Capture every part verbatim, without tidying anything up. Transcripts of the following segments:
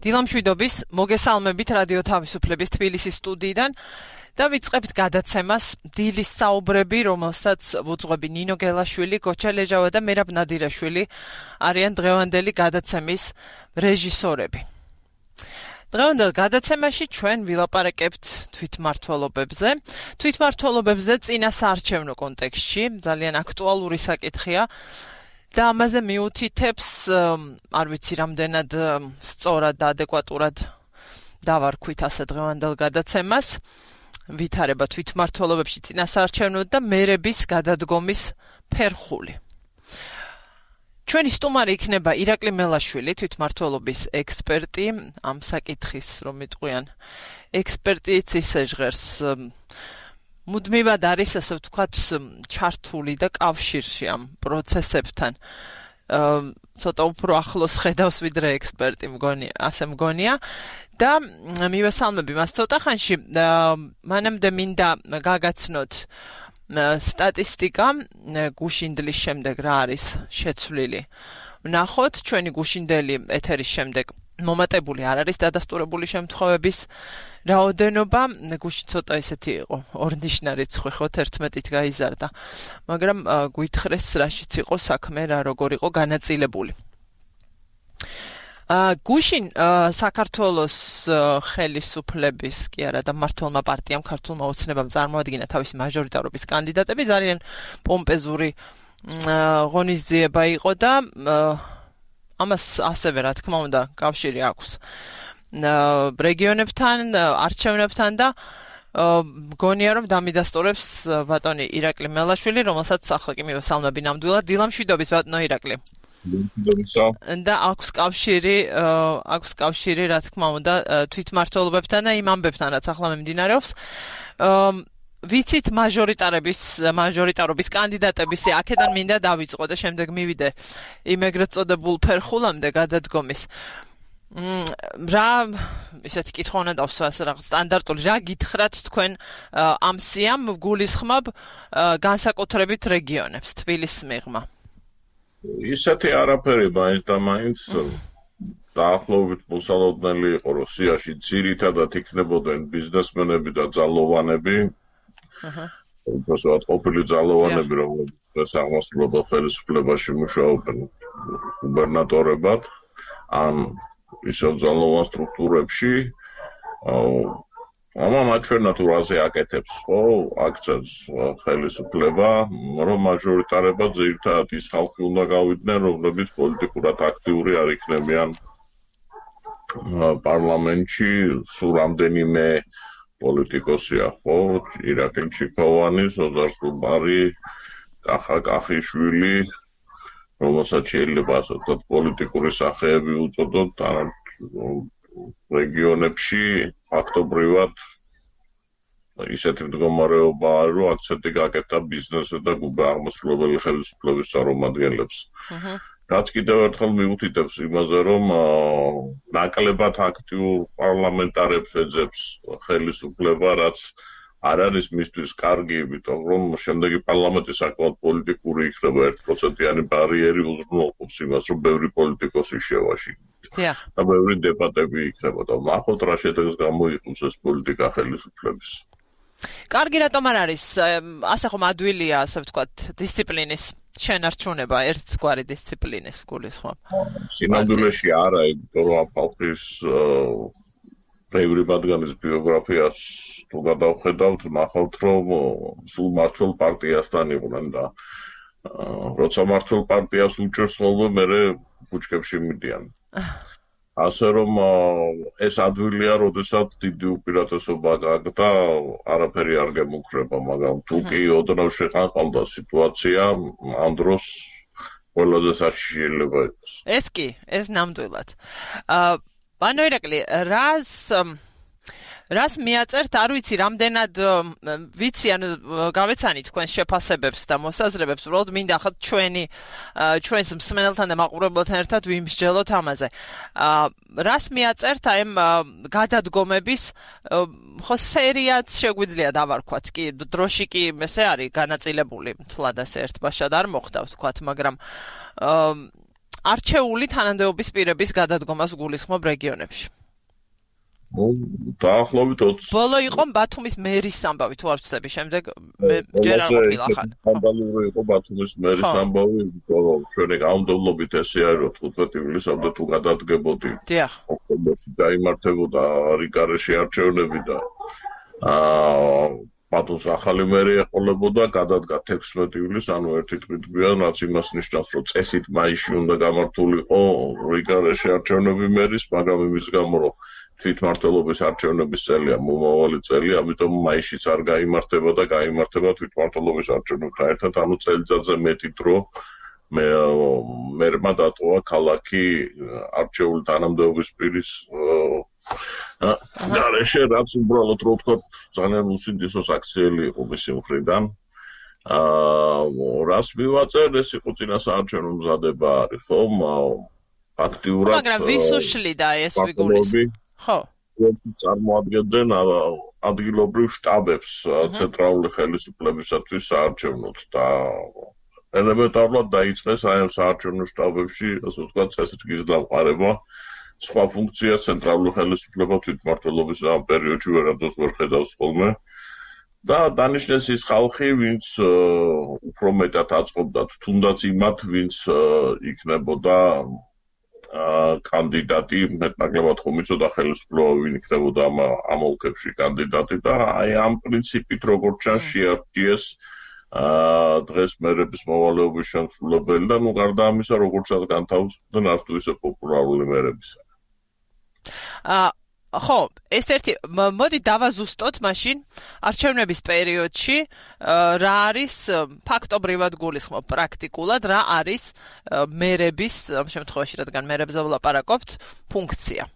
დილამშვიდობის, მოგესალმებით რადიო თავისუფლების თბილისის სტუდიიდან და ვიწყებთ გადაცემას დილის საუბრები, რომელსაც ვუძღვები ნინო გელაშვილი, გოჩა ლეჟავა და მერაბ ნადირაშვილი არიან დღევანდელი გადაცემის რეჟისორები. დღევანდელ გადაცემაში ჩვენ ვილაპარაკებთ თვითმმართველობებზე. თვითმმართველობებზე წინა საარჩევნო კონტექსტში ძალიან აქტუალური საკითხია. და ამაზე მიუთითებს, არ ვიცი რამდენად სწორად და ადეკვატურად დავარქვით ასე დღევანდელ გადაცემას, ვითარება თვითმმართველობებში წინასაარჩევნო და მერების გადადგომის ფერხული. ჩვენი სტუმარი იქნება ირაკლი მელაშვილი, თვითმმართველობის ექსპერტი, ამ საკითხის რომ მიტყვიან ექსპერტიც ისე ჟღერს მუდმივად არის, ასე ვთქვათ, ჩართული და კავშირში ამ პროცესებთან. ცოტა უფრო ახლოს ხედავს ვიდრე ექსპერტი, მგონია, ასე მგონია. და მივესალმები მას ცოტა ხანში, მანამდე მინდა გაგაცნოთ სტატისტიკა გუშინდლის შემდეგ რა არის შეცვლილი. ვნახოთ, ჩვენი გუშინდელი ეთერის შემდეგ მომატებული არ არის დადასტურებული შემთხვევების რაოდენობა, გუშინ ცოტა ისეთი იყო, ორნიშნა რიცხვი ხო თერთმეტით გაიზარდა, მაგრამ გვითხრეს რაშიც იყო საქმე, რა როგორ იყო განაწილებული. გუშინ საქართველოს ხელისუფლების კი არა და მმართველმა პარტიამ ქართულმა ოცნებამ წარმოადგინა თავისი მაჟორიტარობის კანდიდატები, ძალიან პომპეზური ღონისძიება იყო და ამას ასევე რა თქმა უნდა კავშირი აქვს რეგიონებთან, არჩევნებთან და მგონია რომ დამიდასტურებს ბატონი ირაკლი მელაშვილი, რომელსაც ახლა კი მივესალმები ნამდვილად. დილამშვიდობის ბატონო ირაკლი. და აქვს კავშირი, აქვს კავშირი რა თქმა უნდა თვითმმართველობებთან და იმ ამბებთან, რაც ახლა მიმდინარეობს. ვიცით მაჟორიტარების მაჟორიტარობის კანდიდატების აქედან მინდა დავიწყო და შემდეგ მივიდე იმ ეგრეთ წოდებულ ფერხულამდე გადადგომის. რა ისეთი კითხვა უნდა დავსვა ასე რაღაც სტანდარტული, რა გითხრათ თქვენ ამ სიამ გულისხმობ განსაკუთრებით რეგიონებს თბილისის მიღმა? ისეთი არაფერი მაინც და მაინც დაახლოებით მოსალოდნელი იყო, რომ სიაში ძირითადად იქნებოდნენ ბიზნესმენები და ძალოვანები. უბრალოდ ყოფილი ძალოვანები, რომლებიც აღმასრულებელ ხელისუფლებაში მუშაობენ გუბერნატორებად, ან ისევ ძალოვან სტრუქტურებში. ამან აჩვენათურაზე აკეთებს, ხო, აქცენტს ხელისუფლება, რომ მაჟორიტარება ძირითადად ის ხალხი უნდა გავიდნენ, რომლებიც პოლიტიკურად აქტიური არ იქნებიან პარლამენტში, სულ რამდენიმე პოლიტიკოსია, ხო, ირაკლი ჩიქოვანი, ზოზარ სუბარი, კახა კახიშვილი, რომელსაც შეიძლება ასე ვთქვათ პოლიტიკური სახეები უწოდოთ, ან რეგიონებში ფაქტობრივად ისეთი მდგომარეობაა, რომ აქცენტი გაკეთდა ბიზნესზე და აღმასრულებელი ხელისუფლების წარმომადგენლებს. რაც კიდევ ერთხელ მიუთითებს იმაზე, რომ ნაკლებად აქტიურ პარლამენტარებს ეძებს ხელისუფლება, რაც არ არის მისთვის კარგი, იმიტომ რომ შემდეგი პარლამენტი საკმაოდ პოლიტიკური იქნება, ერთ პროცენტიანი ბარიერი უზრუნველყოფს იმას, რომ ბევრი პოლიტიკოსი შევაშინოთ. და ბევრი დებატები იქნება და ნახოთ რა შედეგს გამოიყენებს ეს პოლიტიკა ხელისუფლების. კარგი, რატომ არ არის ასე ხომ ადვილია, ასე ვთქვათ, დისციპლინის შენარჩუნება, ერთგვარი დისციპლინის გულისხმობ? სინამდვილეში არა, იმიტომ რომ ამ ხალხის ბევრი მათგანის ბიოგრაფიას თუ გადავხედავთ, ნახავთ, რომ სულ მმართველ პარტიასთან იყვნენ და როცა მმართველ პარტიას უჭერს ხოლმე, მერე ბუჩქებში მიდიან. ასე რომ ეს ადვილია, როდესაც დიდი უპირატესობა გააქვს და არაფერი არ გემუქრება, მაგრამ თუ კი ოდნავ შეხანყავდა სიტუაცია, ამ დროს ყველაზე საშიში შეიძლება იყოს. ეს კი, ეს ნამდვილად. ბანო ირაკლი, რას რას მიაწერთ, არ ვიცი, რამდენად ვიცი, ანუ გავეცანი თქვენს შეფასებებს და მოსაზრებებს, უბრალოდ მინდა ხათ ჩვენი ჩვენს მსმენელთან და მაყურებელთან ერთად ვიმსჯელოთ ამაზე. რას მიაწერთ აი ამ გადადგომების ხო სერიაც შეგვიძლია დავარქვათ კი, დროში კი ესე არის განაწილებული, თლად ასე ერთბაშად არ მოხდა ვთქვათ, მაგრამ არჩეული თანამდებობის პირების გადადგომას გულისხმობ რეგიონებში. დაახლოებით ოცი. ბოლო იყო ბათუმის მერის ამბავი, თუ არ ვცდები, შემდეგ ჯერ არ ყოფილა ხან. სკანდალური იყო ბათუმის მერის ამბავი, რომ ჩვენი კანონმდებლობით ესე არის, რომ თხუთმეტი ივლისამდე თუ გადადგებოდი. დიახ. ოქტომბერში დაიმართებოდა რიგარეში არჩევნები და აა ბათუმს ახალი მერი ეყოლებოდა, გადადგა თექვსმეტი ივლისს, ანუ ერთი თვით გვიან, რაც იმას ნიშნავს, რომ წესით მაისში უნდა გამართულიყო რიგარეში არჩევნები მერის, მაგრამ იმის გამო, რომ თვითმმართველობის არჩევნების წელია მომავალი წელი, ამიტომ მაისშიც არ გაიმართება და გაიმართება თვითმმართველობის არჩევნებთან ერთად, ანუ წელიწადზე მეტი დრო მე მერმა დატოვა ქალაქი არჩეული თანამდებობის პირის გარეშე, რაც უბრალოდ რო ვთქვათ, ძალიან უსინდისო აქციელი იყო მისი მხრიდან. აა რას მივაწერ, ეს იყო წინასაარჩევნო მზადება არის, ხო? აქტიურად მაგრამ ვის უშლიდა ეს ვიგულისხმობ? ხო. წარმოადგენდნენ ადგილობრივ შტაბებს ცენტრალური ხელისუფლებისათვის საარჩევნოდ და ელემენტარულად დაიწყეს აი ამ საარჩევნო შტაბებში, ასე ვთქვათ, წესრიგის დამყარება. სხვა ფუნქცია ცენტრალური ხელისუფლება თვითმმართველობის ამ პერიოდში ვერადოს ვერ ხედავს ხოლმე. და დანიშნეს ის ხალხი, ვინც უფრო მეტად აწყობდათ, თუნდაც იმათ, ვინც იქნებოდა კანდიდატი, მეტნაკლებად ხომ იცოდა ხელისუფლება ვინ იქნებოდა ამ ამ ოლქებში კანდიდატი და აი ამ პრინციპით როგორც ჩანს შეარჩიეს დღეს მერების მოვალეობის შემსრულებელი და ნუ გარდა ამისა როგორცაც განთავსდნენ არც თუ ისე პოპულარული მერებისა. აა ხო, ეს ერთი მოდი დავაზუსტოთ მაშინ არჩევნების პერიოდში რა არის ფაქტობრივად გულისხმობ პრაქტიკულად რა არის მერების ამ შემთხვევაში რადგან მერებზე ვლაპარაკობთ ფუნქცია.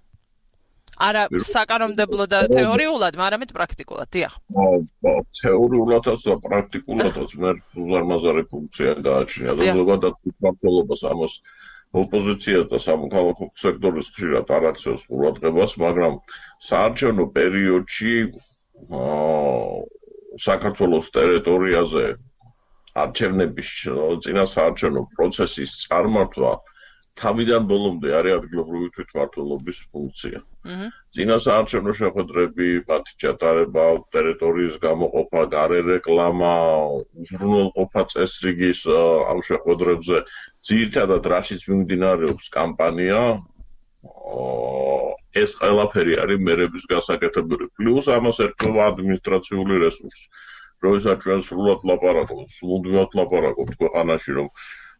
არა საკანონმდებლო და თეორიულად, მაგრამ პრაქტიკულად, დიახ. თეორიულადაც და პრაქტიკულადაც მერს უზარმაზარი ფუნქცია გააჩნია და ზოგადად თვითმმართველობას ამას ოპოზიცია და სამოქალაქო სექტორის ხშირად არ აქცევს ყურადღებას, მაგრამ საარჩევნო პერიოდში საქართველოს ტერიტორიაზე არჩევნების წინასაარჩევნო პროცესის წარმართვა თავიდან ბოლომდე არის ადგილობრივი თვითმმართველობის ფუნქცია. წინასაარჩევნო შეხვედრები, მათი ჩატარება, ტერიტორიის გამოყოფა, გარე რეკლამა, უზრუნველყოფა წესრიგის ამ შეხვედრებზე, ძირითადად რაშიც მიმდინარეობს კამპანია, ეს ყველაფერი არის მერების გასაკეთებელი. პლუს ამას ერთობა ადმინისტრაციული რესურსი. როდესაც ჩვენ სრულად ვლაპარაკობთ, სრულდღიურად ვლაპარაკობთ ქვეყანაში, რომ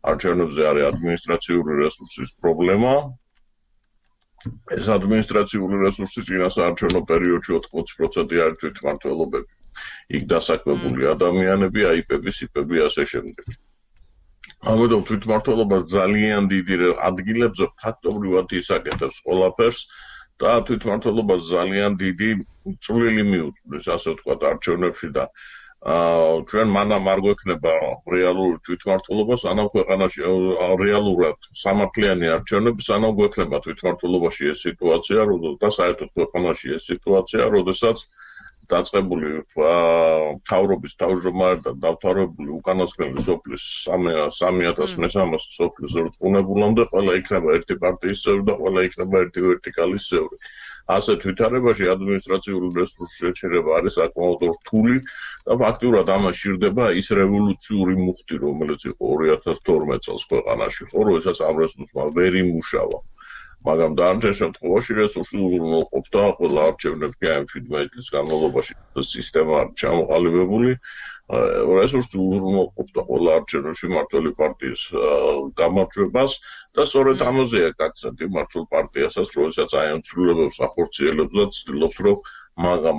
არჩევნებზე არის ადმინისტრაციული რესურსის პრობლემა. ეს ადმინისტრაციული რესურსი წინასაარჩევნო პერიოდში ოთხმოცი პროცენტი არის თვითმმართველობები. იქ დასაქმებული ადამიანები, აიპები, სიპები, ასე შემდეგ. ამიტომ თვითმმართველობა ძალიან დიდი ადგილებზე ფაქტობრივად ისაკეთებს ყველაფერს და თვითმმართველობა ძალიან დიდი წვლილი მიუძღვის, ასე ვთქვათ, არჩევნებში და ჩვენ მანამ არ გვექნება რეალური თვითმმართველობა, სანამ ქვეყანაში რეალურად სამართლიანი არჩევნები, სანამ გვექნება თვითმმართველობაში ეს სიტუაცია, და საერთოდ ქვეყანაში ეს სიტუაცია, როდესაც დაწყებული მთავრობის თავმჯდომარე და დამთავრებული უკანასკნელი სოფლის სამი ათას მესამეას სოფლის რწმუნებულამდე ყველა იქნება ერთი პარტიის წევრი და ყველა იქნება ერთი ვერტიკალის წევრი. ასეთ ვითარებაში ადმინისტრაციული რესურსის შეჩერება არის საკმაოდ რთული და ფაქტურად ამას სჭირდება ის რევოლუციური მუხტი, რომელიც იყო ორი ათას თორმეტ წელს ქვეყანაში, ხო, როდესაც ამ რესურსმა ვერ იმუშავა. მაგრამ დანარჩენ შემთხვევაში რესურსი უზრუნველყოფდა ყველა არჩევნებში ამ შვიდმეტი წლის განმავლობაში სისტემა არის ჩამოყალიბებული. რესურსი უზრუნველყოფდა ყველა არჩევნებში მმართველი პარტიის გამარჯვებას და სწორედ ამაზეა აქცენტი მმართველ პარტიასაც, როდესაც აი ამ ცვლილებებს ახორციელებს და ცდილობს, რომ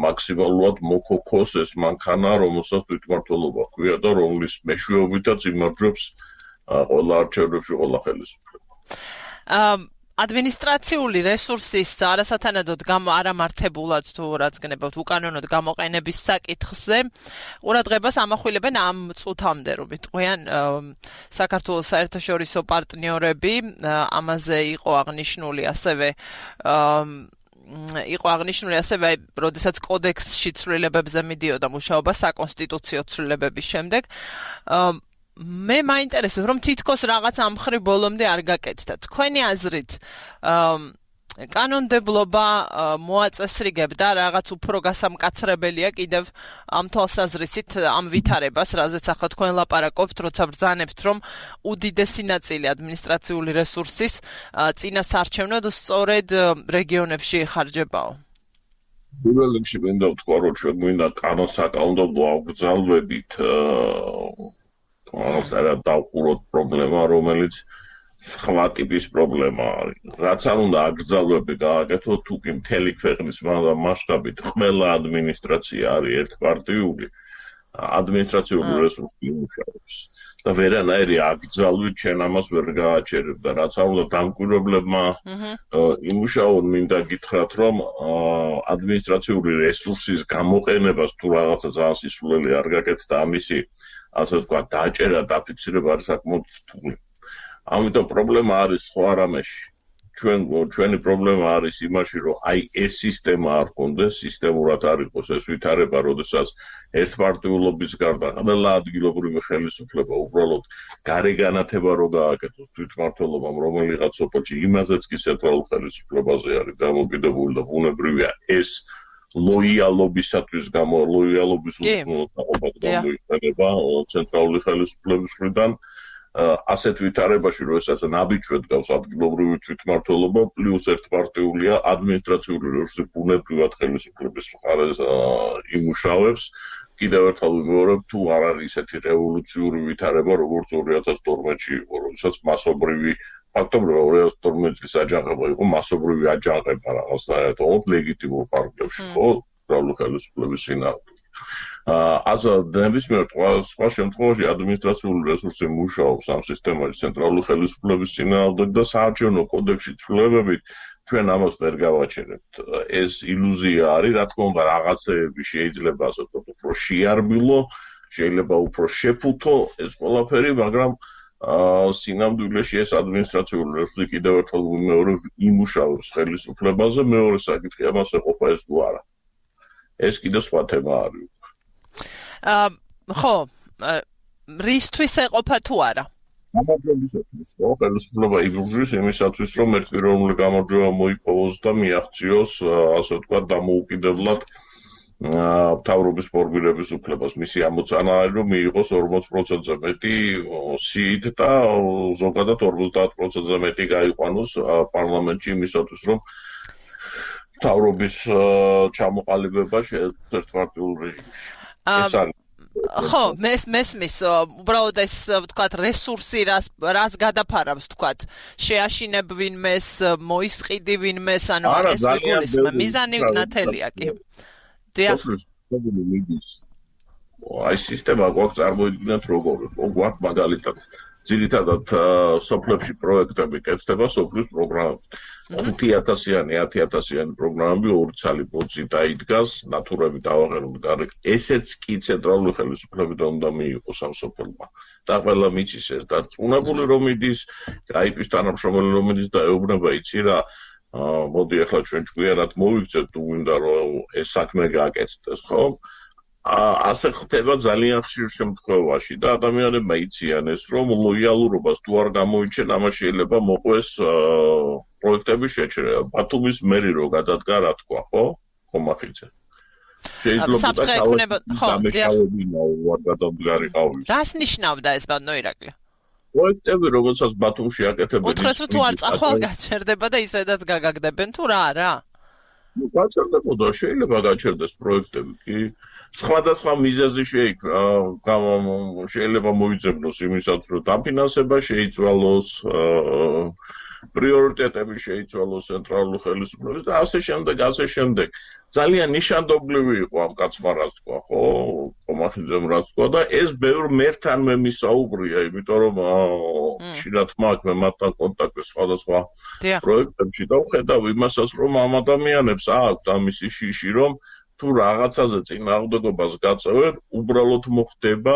მაქსიმალურად მოკოქოს ეს მანქანა, რომელსაც თვითმმართველობა ჰქვია და რომლის მეშვეობითაც იმარჯვებს ყველა არჩევნებში ყველა ხელისუფლება. ადმინისტრაციული რესურსის არასათანადოდ არამართებულად თუ რაც გნებავთ უკანონოდ გამოყენების საკითხზე ყურადღებას ამახვილებენ ამ წუთამდე, რომ ვიტყვიან საქართველოს საერთაშორისო პარტნიორები, ამაზე იყო აღნიშნული ასევე იყო აღნიშნული ასევე, როდესაც კოდექსში ცვლილებებზე მიდიოდა მუშაობა საკონსტიტუციო ცვლილებების შემდეგ. მე მაინტერესებს, რომ თითქოს რაღაც ამ მხრივ ბოლომდე არ გაკეთდა. თქვენი აზრით, კანონმდებლობა მოაწესრიგებდა რაღაც უფრო გასამკაცრებელია კიდევ ამ თვალსაზრისით ამ ვითარებას, რაზეც ახლა თქვენ ლაპარაკობთ, როცა ბრძანებთ, რომ უდიდესი ნაწილი ადმინისტრაციული რესურსის წინასარჩევნოდ სწორედ რეგიონებში იხარჯებაო. პირველ რიგში მინდა ვთქვა, რომ ჩვენ გვინდა კანონსაკანონმდებლო აღგრძალვებით ეს არა დავყუროთ პრობლემა, რომელიც სხვა ტიპის პრობლემა არის. რაც არ უნდა აგრძალვები გააკეთოთ, თუ კი მთელი ქვეყნის მასშტაბით ყველა ადმინისტრაცია არის ერთპარტიული, ადმინისტრაციული რესურსი იმუშავებს. და ვერანაირი აკრძალვით ჩვენ ამას ვერ გააჩერებ და რაც არ უნდა დამკვირვებლებმა იმუშაონ, მინდა გითხრათ, რომ ადმინისტრაციული რესურსის გამოყენებას თუ რაღაცა ძალიან სისულელი არ გაკეთდა, ამისი ასე ვთქვათ, დაჭერა, დაფიქსირება არის საკმაოდ რთული. ამიტომ პრობლემა არის სხვა რამეში. ჩვენ ჩვენი პრობლემა არის იმაში, რომ აი ეს სისტემა არ კონდეს, სისტემურად არ იყოს ეს ვითარება, როდესაც ერთპარტიულობის გარდა ყველა ადგილობრივი ხელისუფლება უბრალოდ გარეგანათება რო გააკეთოს თვითმმართველობამ, რომელიღაც სოფელში იმაზეც კი ცენტრალურ ხელისუფლებაზე არის დამოკიდებული და ბუნებრივია ეს ლოიალობისათვის გამო ლოიალობის უზრუნველყოფად გამოიყენება ცენტრალური ხელისუფლების მხრიდან ასეთ ვითარებაში, რომ ესაც ნაბიჯად გავს ადგილობრივი თვითმმართველობა, პლუს ერთპარტიულია ადმინისტრაციული რესურსი ბუნებრივად ხელისუფლების მხარეს იმუშავებს. კიდევ ერთხელ ვიმეორებ, თუ არ არის ისეთი რევოლუციური ვითარება, როგორც ორი ათას თორმეტში იყო, როდესაც მასობრივი ფაქტობრივად ორი ათას თორმეტი წლის აჯანყება იყო მასობრივი აჯანყება რაღაცნაირად, თუმცა ლეგიტიმურ პარტიებში ხო, centralul ხელისუფლების წინააღმდეგ. Asta nebesmier სხვა შემთხვევაში ადმინისტრაციული რესურსი მუშაობს ამ სისტემაში ცენტრალურ ხელისუფლების წინააღმდეგ და საარჩევნო კოდექსში ცვლილებებით ჩვენ ამას ვერ გავაჩერებთ. ეს ილუზია არის, რა თქმა უნდა, რაღაცეები შეიძლება ასე ვთქვათ, უფრო შეარბილო, შეიძლება უფრო შეფუთო ეს ყველაფერი, მაგრამ სინამდვილეში ეს ადმინისტრაციული რესურსი კიდევ ერთხელ ვიმეორებ იმუშავებს ხელისუფლებაზე, მეორე საკითხი ამას ეყოფა ეს თუ არა. ეს კიდე სხვა თემა არის. ხო, რისთვის ეყოფა თუ არა? გამარჯვებისათვის, ხო, ხელისუფლება იბრძვის იმისათვის, რომ ერთპიროვნული გამარჯვება მოიპოვოს და მიაღწიოს, ასე ვთქვათ, დამოუკიდებლად მთავრობის ფორმირების უფლებას. მისი ამოცანა არის, რომ მიიღოს ორმოც პროცენტზე მეტი სიით და ზოგადად ორმოცდაათ პროცენტზე მეტი გაიყვანოს პარლამენტში იმისათვის, რომ მთავრობის ჩამოყალიბება შეეძლოს ერთპარტიულ რეჟიმში. ეს არის ხო, მეს მესმის, უბრალოდ ეს ვთქვათ რესურსი რას რას გადაფარავს, ვთქვათ, შეაშინებ ვინმეს, მოისყიდი ვინმეს, ანუ ეს ვიგულისხმე, მიზანი ნათელია კი. დიახ. აი სისტემა გვაქვს წარმოიდგინეთ როგორი, ხო, გვაქვს მაგალითად ძირითადად სოფლებში პროექტები კეთდება სოფლის პროგრამებით. ხუთი ათასიანი, ათი ათასიანი პროგრამები ორი ცალი ბოძი დაიდგას, ნატურები დავაღეროთ გარეთ. ესეც კი ცენტრალური ხელისუფლებიდან უნდა მიიღოს ამ სოფელმა. და ყველა მიცის ეს და წუნებული რომ მიდის, გაიპის თანამშრომელი რომ მიდის და ეუბნება იცი რა, მოდი ახლა ჩვენ ჭკვიანად მოვიქცეთ თუ გვინდა რომ ეს საქმე გააკეთდეს, ხო? ასე ხდება ძალიან ხშირ შემთხვევაში და ადამიანებმა იციან ეს რომ ლოიალურობას თუ არ გამოიჩენ, ამას შეიძლება მოყვეს პროექტების შეჩერება. ბათუმის მერი რო გადადგა, რა თქვა, ხო? ხომახიძე. შეიძლება დამეშავებინა ვარ გადამდგარიყავი. რას ნიშნავდა ეს ბანო ირაკლი? პროექტები რომელსაც ბათუმში აკეთებენ. უთხრეს რომ თუ არ წახვალ გაჩერდება და ისედაც გაგაგდებენ თუ რა არა? ნუ გაჩერდებოდა, შეიძლება გაჩერდეს პროექტები კი. სხვადასხვა მიზეზი შეიქმნა, შეიძლება მოიძებნოს იმისაც, რომ დაფინანსება შეიცვალოს, პრიორიტეტები შეიცვალოს ცენტრალურ ხელისუფლებას და ასე შემდეგ, ასე შემდეგ. ძალიან ნიშანდობლივი იყო ამ კაცმა რაც თქვა, ხო, ხომახიძემ რაც თქვა და ეს ბევრ მერთან მე მისაუბრია, იმიტომ რომ ხშირად მაქვს მე მათთან კონტაქტი სხვადასხვა პროექტებში და ვხედავ იმასაც, რომ ამ ადამიანებს აქვთ ამისი შიში, რომ თუ რაღაცაზე წინააღმდეგობას გაწევენ, უბრალოდ მოხდება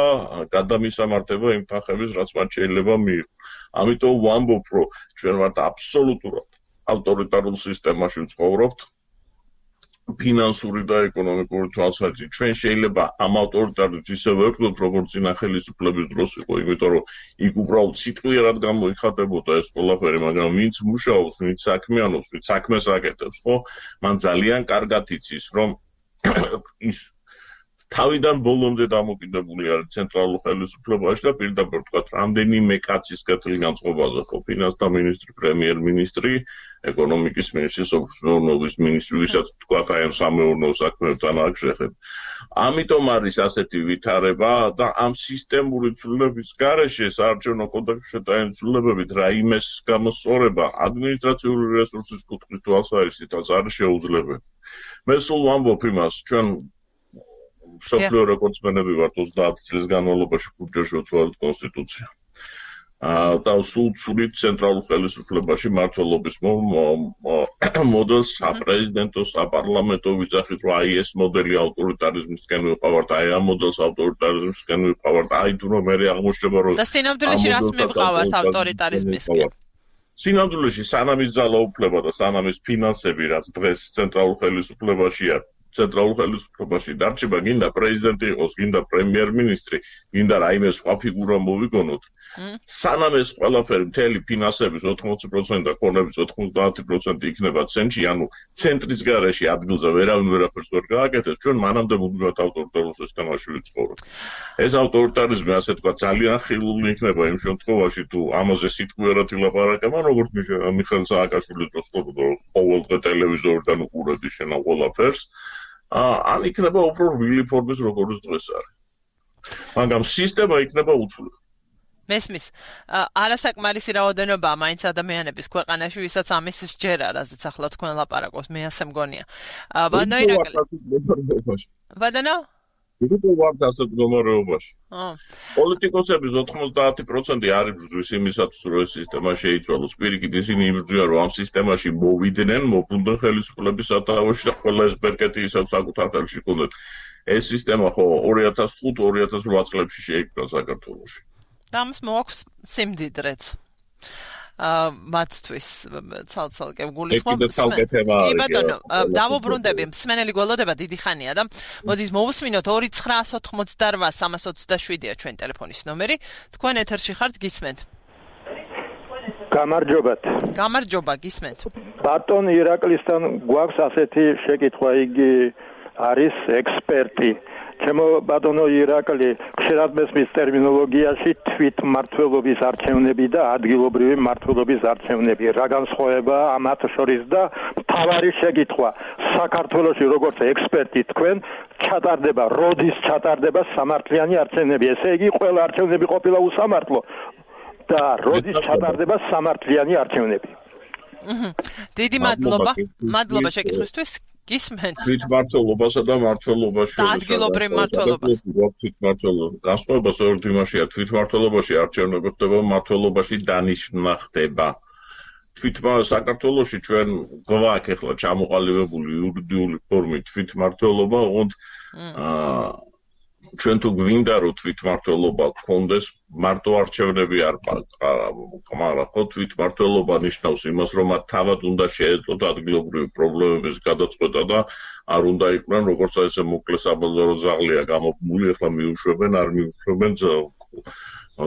გადამისამართება იმ თანხების, რაც მათ შეიძლება მიიღონ. ამიტომ ვამბობ, რომ ჩვენ ვართ აბსოლუტურად ავტორიტარულ სისტემაში ვცხოვრობთ. ფინანსური და ეკონომიკური თვალსაზრისით ჩვენ შეიძლება ამ ავტორიტარიზმს ისე ვერგლოთ, როგორც წინა ხელისუფლების დროს იყო, იმიტომ რომ იქ უბრალოდ სიტყვიერად გამოიხატებოდა ეს ყველაფერი, მაგრამ ვინც მუშაობს, ვინც საქმიანობს, ვინც საქმეს აკეთებს, ხო, მან ძალიან კარგად იცის, რომ ის თავიდან ბოლომდე დამოკიდებული არის ცენტრალურ ხელისუფლებაში და პირდაპირ ვთქვათ, რამდენიმე კაცის კეთილ განწყობაზე, ხო, ფინანსთა მინისტრი, პრემიერ-მინისტრი, ეკონომიკის მინისტრი, სოფლის მინისტრი, ვისაც ვთქვათ, აი ამ სამეურნეო საქმეებთან აქ შეხება. ამიტომ არის ასეთი ვითარება და ამ სისტემური ცვლილების გარეშე საარჩევნო კოდექსში შეტანილი ცვლილებებით რაიმეს გამოსწორება ადმინისტრაციული რესურსის კუთხის თვალსაზრისითაც არის შეუძლებელი. მე სულ ვამბობ იმას, ჩვენ სოფლიო რეკორდსმენები ვართ ოცდაათი წლის განმავლობაში ქუჩაში ვცვალეთ კონსტიტუცია. და სულ ცვლით ცენტრალურ ხელისუფლებაში მმართველობის მოდელს, საპრეზიდენტო, საპარლამენტო ვიძახით, რომ აი ეს მოდელი ავტორიტარიზმისკენ ვიყავართ, აი ამ მოდელს ავტორიტარიზმისკენ ვიყავართ, აი თუ რომ მე აღმოჩნდება, რომ და სინამდვილეში რას მივყავართ ავტორიტარიზმისკენ? სინამდვილეში სანამ ის ძალაუფლება და სანამ ის ფინანსები, რაც დღეს ცენტრალურ ხელისუფლებაშია, ცენტრალურ ხელისუფლებაში დარჩება, გინდა პრეზიდენტი იყოს, გინდა პრემიერ-მინისტრი, გინდა რაიმე სხვა ფიგურა მოვიგონოთ. სანამ ეს ყველაფერი მთელი ფინანსების ოთხმოცი პროცენტი და ქონების ოცდაათი პროცენტი იქნება ცენტრში, ანუ ცენტრის გარეშე ადგილზე ვერავინ ვერაფერს ვერ გააკეთებს, ჩვენ მანამდე მუდმივად ავტორიტარულ სისტემაში ვიცხოვრობთ. ეს ავტორიტარიზმი, ასე თქვა, ძალიან ხილული იქნება იმ შემთხვევაში, თუ ამაზე სიტყვიერად ილაპარაკება, როგორც მიხეილ სააკაშვილის დროს ყოველდღე ტელევიზორიდან უყურებდი შენ ამ ყველაფერს. ან იქნება უფრო რბილი ფორმის როგორც დღეს არის. მაგრამ სისტემა იქნება უცვლელი. მესმის, არასაკმარისი რაოდენობაა მაინც ადამიანების ქვეყანაში, ვისაც ამის სჯერა, რაზეც ახლა თქვენ ლაპარაკობს, მე ასე მგონია. ბანო ირაკლი. ბანო? ვიდრე ვართ ასეთ მდგომარეობაში. პოლიტიკოსების ოთხმოცდაათი პროცენტი არ იბრძვის იმისათვის, რომ ეს სისტემა შეიცვალოს. პირიქით ისინი იბრძვიან, რომ ამ სისტემაში მოვიდნენ, მობრუნდნენ ხელისუფლების სათავეში და ყველა ეს ბერკეტი ისევ საკუთარ ხელში ჰქონდათ. ეს სისტემა ხო ორი ათას ხუთი ორი ათას რვა წლებში შეიქმნა საქართველოში. და ამას მოაქვს სიმდიდრეც. აა მათთვის ცალ-ცალკე გულისხმობ. კი ბატონო, დავუბრუნდები, მსმენელი გველოდება დიდი ხანია და მოდით მოვუსმინოთ ორი ცხრაას ოთხმოცდარვა სამას ოცდაშვიდია ჩვენ ტელეფონის ნომერი. თქვენ ეთერში ხართ, გისმენთ. გამარჯობათ. გამარჯობა, გისმენთ. ბატონ ირაკლისთან გვაქვს ასეთი შეკითხვა, იგი არის ექსპერტი. ჩემო ბატონო ირაკლი, ხშირად მესმის ტერმინოლოგიაში თვითმმართველობის არჩევნები და ადგილობრივი მმართველობის არჩევნები. რა განსხვავებაა ამათ შორის და მთავარი შეკითხვა, საქართველოში როგორც ექსპერტი თქვენ ჩატარდება, როდის ჩატარდება სამართლიანი არჩევნები? ესე იგი, ყველა არჩევნები ყოფილა უსამართლო და როდის ჩატარდება სამართლიანი არჩევნები? დიდი მადლობა, მადლობა შეკითხვისთვის. გისმენთ. თვითმმართველობასა და მმართველობას შორის. ადგილობრივ მმართველობას. თვითმმართველობა. განსხვავება სწორედ იმაშია, თვითმმართველობაში არჩევნები ხდება, მმართველობაში დანიშვნა ხდება. თვითმმართველობა საქართველოში ჩვენ გვაქვს ახლა ჩამოყალიბებული იურიდიული ფორმით თვითმმართველობა, ოღონდ აა ჩვენ თუ გვინდა რომ თვითმმართველობა გქონდეს, მარტო არჩევნები არ მაგრამ ხო თვითმმართველობა ნიშნავს იმას, რომ მათ თავად უნდა შეეძლოთ ადგილობრივი პრობლემების გადაწყვეტა და არ უნდა იყვნენ როგორც ესე მოკლე საბაზარო ზაღლია გამოფმული, ახლა მიუშვებენ, არ მიუშვებენ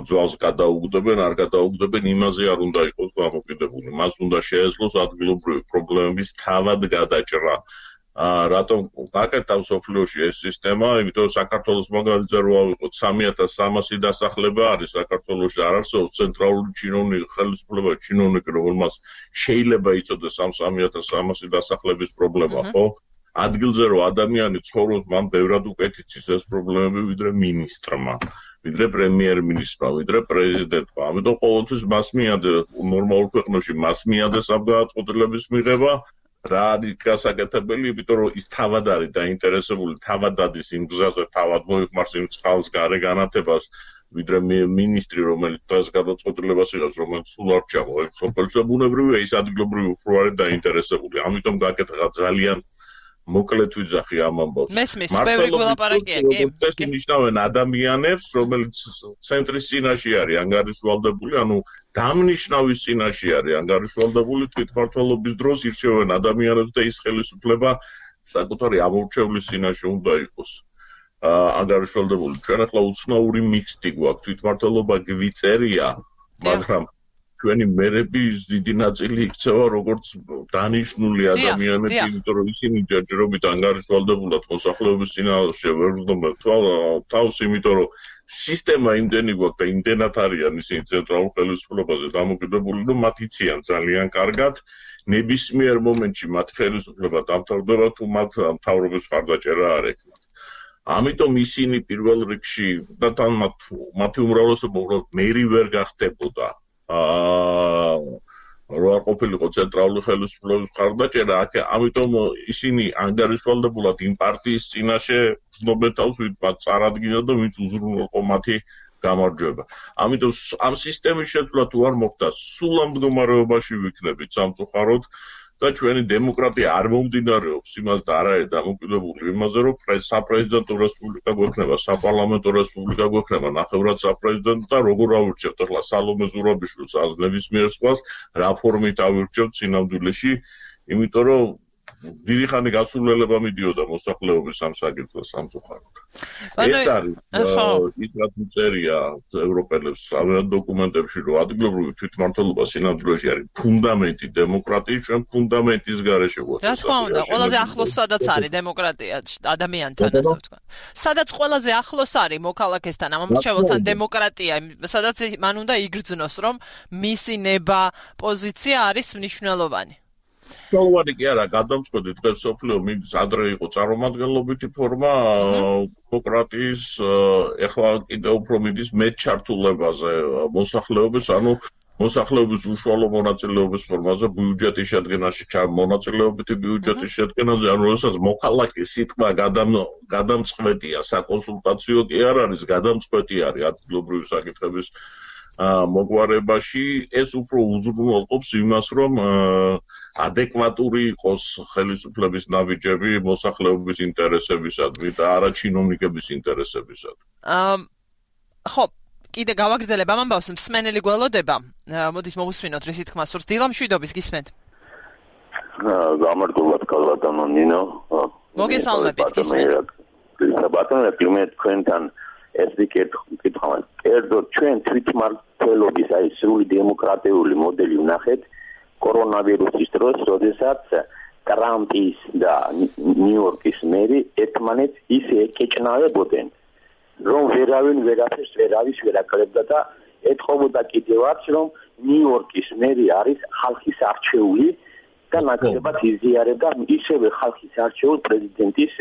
ძვალს გადაუგდებენ, არ გადაუგდებენ, იმაზე არ უნდა იყოს გამოკიდებული. მას უნდა შეეძლოს ადგილობრივი პრობლემების თავად გადაჭრა. აა რატომ გაკეთავს სოფლიოში ეს სისტემა? იმიტომ რომ საქართველოს მაგალითზე რო ავიღოთ სამი ათას სამასი დასახლება არის საქართველოში, არ არსებობს ცენტრალური ჩინოვნიკი, ხელისუფლება ჩინოვნიკი, რომელმაც შეიძლება იწოდეს ამ სამი ათას სამასი დასახლების პრობლემა, ხო? ადგილზე რო ადამიანი ცხოვრობს, მან ბევრად უკეთ იცის ეს პრობლემები, ვიდრე მინისტრმა, ვიდრე პრემიერ-მინისტრმა, ვიდრე პრეზიდენტმა. ამიტომ ყოველთვის მას მიადეს ნორმალურ ქვეყნებში მას მიადეს ამ გადაწყვეტილების მიღება. რა არის გასაკეთებელი, იმიტომ რომ ის თავად არის დაინტერესებული, თავად დადის იმ გზაზე, თავად მოიხმარს იმ წყალს, გარე განათებას ვიდრე მინისტრი, რომელიც დღეს გადაწყვეტილებას იღებს, რომელიც სულ არ ჩამო, ეს სოფელსა ბუნებრივია, ის ადგილობრივი უფრო არის დაინტერესებული. ამიტომ გაკეთდა ძალიან მოკლედ ვიძახი ამ ამბავს. მესმის, ბევრი გულაპარაკია, კი. ეს ნიშნავენ ადამიანებს, რომელიც ცენტრის წინაშე არის ანგარიშვალდებული, ანუ დამნიშნავის წინაშე არის ანგარიშვალდებული, თვითმმართველობის დროს ირჩევენ ადამიანებს და ის ხელისუფლება საკუთარი ამორჩევლის წინაშე უნდა იყოს. ანგარიშვალდებული. ჩვენ ახლა უცნაური მიქსტი გვაქვს, თვითმმართველობა გვიწერია, მაგრამ ჩვენი მერების დიდი ნაწილი იქცევა როგორც დანიშნული ადამიანები, იმიტომ რომ ისინი ჯერჯერობით ანგარიშვალდებულად მოსახლეობის წინაშე ვერ ვდომენ თავს, იმიტომ რომ სისტემა იმდენი გვაქვს და იმდენად არიან ისინი ცენტრალურ ხელისუფლებაზე დამოკიდებული, რომ მათ იციან ძალიან კარგად ნებისმიერ მომენტში მათ ხელისუფლება დამთავრდება, თუ მათ მთავრობის მხარდაჭერა არ ექნათ. ამიტომ ისინი პირველ რიგში და თან მათი უმრავლესობა უბრალოდ მერი ვერ გახდებოდა. აა რო არ ყოფილიყო ცენტრალური ხელისუფლების მხარდაჭერა, ამიტომ ისინი ანგარიშვალდებულად იმ პარტიის წინაშე ვცნობენ თავს, ვით მათ წარადგინა და ვინც უზრუნველყო მათი გამარჯვება. ამიტომ ამ სისტემის შეცვლა თუ არ მოხდა, სულ ამ მდგომარეობაში ვიქნებით სამწუხაროდ და ჩვენი დემოკრატია არ მომდინარეობს იმას და არ არის დამოკიდებული იმაზე, რომ საპრეზიდენტო რესპუბლიკა გვექნება, საპარლამენტო რესპუბლიკა გვექნება, ნახევრად საპრეზიდენტო და როგორ ავირჩევთ ახლა სალომე ზურაბიშვილს, ან ნებისმიერ სხვას რა ფორმით ავირჩევთ სინამდვილეში, იმიტომ რომ დიდი ხანი გასულელება მიდიოდა მოსახლეობის ამ საკითხს სამწუხაროდ. ეს არის ის რაც უწერია ევროპელებს ამ დოკუმენტებში, რომ ადგილობრივი თვითმმართველობა სინამდვილეში არის ფუნდამენტი დემოკრატიის, ჩვენ ფუნდამენტის გარეშე ვართ. რა თქმა უნდა, ყველაზე ახლოს სადაც არის დემოკრატია ადამიანთან, ასე ვთქვა. სადაც ყველაზე ახლოს არის მოქალაქესთან, ამომრჩეველთან დემოკრატია, სადაც მან უნდა იგრძნოს, რომ მისი ნება, პოზიცია არის მნიშვნელოვანი. სოლოვანი კი არა, გადამწყვეტი დღეს სოფლიო მინდის ადრე იყო წარმომადგენლობითი ფორმა დემოკრატიის, ეხლა კიდევ უფრო მინდის მეტ ჩართულებაზე მოსახლეობის, ანუ მოსახლეობის უშუალო მონაწილეობის ფორმაზე, ბიუჯეტის შედგენაში, მონაწილეობითი ბიუჯეტის შედგენაზე, ანუ როდესაც მოქალაქის სიტყვა გადამწყვეტია, საკონსულტაციო კი არ არის, გადამწყვეტი არის ადგილობრივი საკითხების მოგვარებაში, ეს უფრო უზრუნველყოფს იმას, რომ ადეკვატური იყოს ხელისუფლების ნაბიჯები მოსახლეობის ინტერესებისადმი და არა ჩინოვნიკების ინტერესებისადმი. ხო, კიდე გავაგრძელებ ამ ამბავს, მსმენელი გველოდება. მოდით მოვუსვინოთ რისი თქმა სურს. დილა მშვიდობის გისმენთ. გამარჯობათ კალბატონო ნინო. მოგესალმებით, გისმენთ. ბატონო, კლიმატ თქვენთან ერთი კითხვა. კერძოდ ჩვენ თვითმმართველობის აი სრული დემოკრატიული მოდელი ვნახეთ კორონავირუსის დროს, როდესაც ტრამპის და ნიუ-იორკის მერი ერთმანეთს ისე ეკეჭნავებოდნენ, რომ ვერავინ ვერაფერს ვერავის ვერ აკლებდა და ეთხოვოდა კიდევაც, რომ ნიუ-იორკის მერი არის ხალხის არჩეული და ნაკლებად იზიარებდა ისევე ხალხის არჩეულ პრეზიდენტის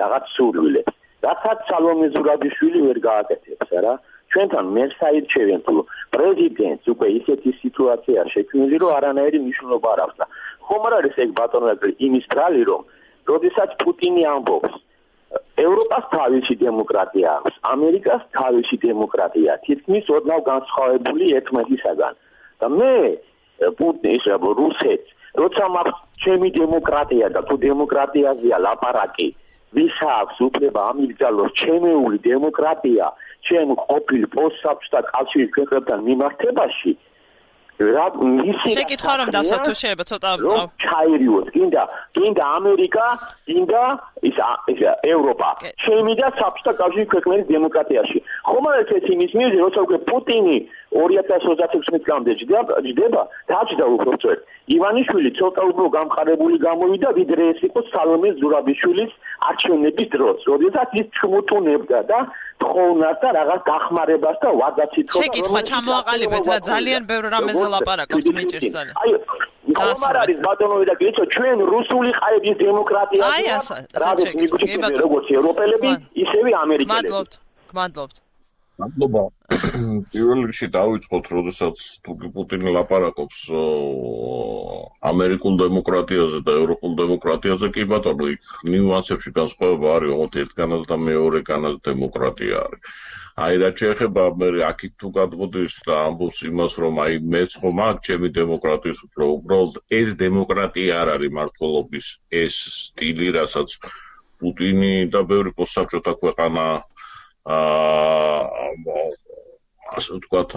რაღაც სურვილებს. რასაც სალომე ზურაბიშვილი ვერ გააკეთებს, რა. ჩვენთან მერს აირჩევენ, თუ პრეზიდენტს უკვე ისეთი სიტუაცია შექმნილი, რომ არანაირი მნიშვნელობა არ აქვს და ხომ არ არის ეგ ბატონო იმის ბრალი, რომ როდესაც პუტინი ამბობს, ევროპას თავისი დემოკრატია აქვს, ამერიკას თავისი დემოკრატია, თითქმის ოდნავ განსხვავებული ერთმანეთისაგან. და მე პუტინის რუსეთს, როცა მაქვს ჩემი დემოკრატია და თუ დემოკრატიაზეა ლაპარაკი, ვის აქვს უფლება ამიგზავნოს ჩემეული დემოკრატია ჩემ ყოფილ პოსტსაბჭოთა კავშირის ქვეყნებთან მიმართებაში, რა მისი შეკითხვა რომ დასვათ თუ შეიძლება ცოტა ჩაირიოთ, კიდე კიდე ამერიკა, კიდე ის ევროპა, ჩემი და საბჭოთა კავშირის ქვეყნების დემოკრატიაში. ხომ არ ეს იმის მიზეზი, როცა უკვე პუტინი ორი ათას ოცდაექვსი წლამდე ჯდება, დაჭდა უბრალოდ ივანიშვილი ცოტა უფრო გამყარებული გამოვიდა, ვიდრე ეს იყო სალომე ზურაბიშვილის არჩევნების დროს, როდესაც ის ჩმუტუნებდა და თხოვნას და რაღაც დახმარებას და ვადაც ითხოვდა. შეკითხვა ჩამოაყალიბეთ რა, ძალიან ბევრ რამეზე ლაპარაკობთ მეჭირს ძალიან. აი, ხომ არ არის ბატონო და გიცო, ჩვენ რუსული ყაების დემოკრატია აი ასა, შეკითხვა, როგორც ევროპელები, ისევე ამერიკელები. მადლობთ, გმადლობთ. მადლობა. პირველ რიგში დავიწყოთ, როდესაც თურქი პუტინი ლაპარაკობს ამერიკულ დემოკრატიაზე და ევროპულ დემოკრატიაზე, კი ბატონო, იქ ნიუანსებში განსხვავება არის, ოღონდ ერთგანაც და მეორეგანაც დემოკრატია არის. აი რა შეეხება მე აქით თუ გადმოდის და ამბობს იმას რომ აი მეც ხომ აქ ჩემი დემოკრატიის უფრო უბრალოდ ეს დემოკრატია არ არის მართლობის ეს სტილი რასაც პუტინი და ბევრი პოსტსაბჭოთა ქვეყანა აა ასე ვთქვათ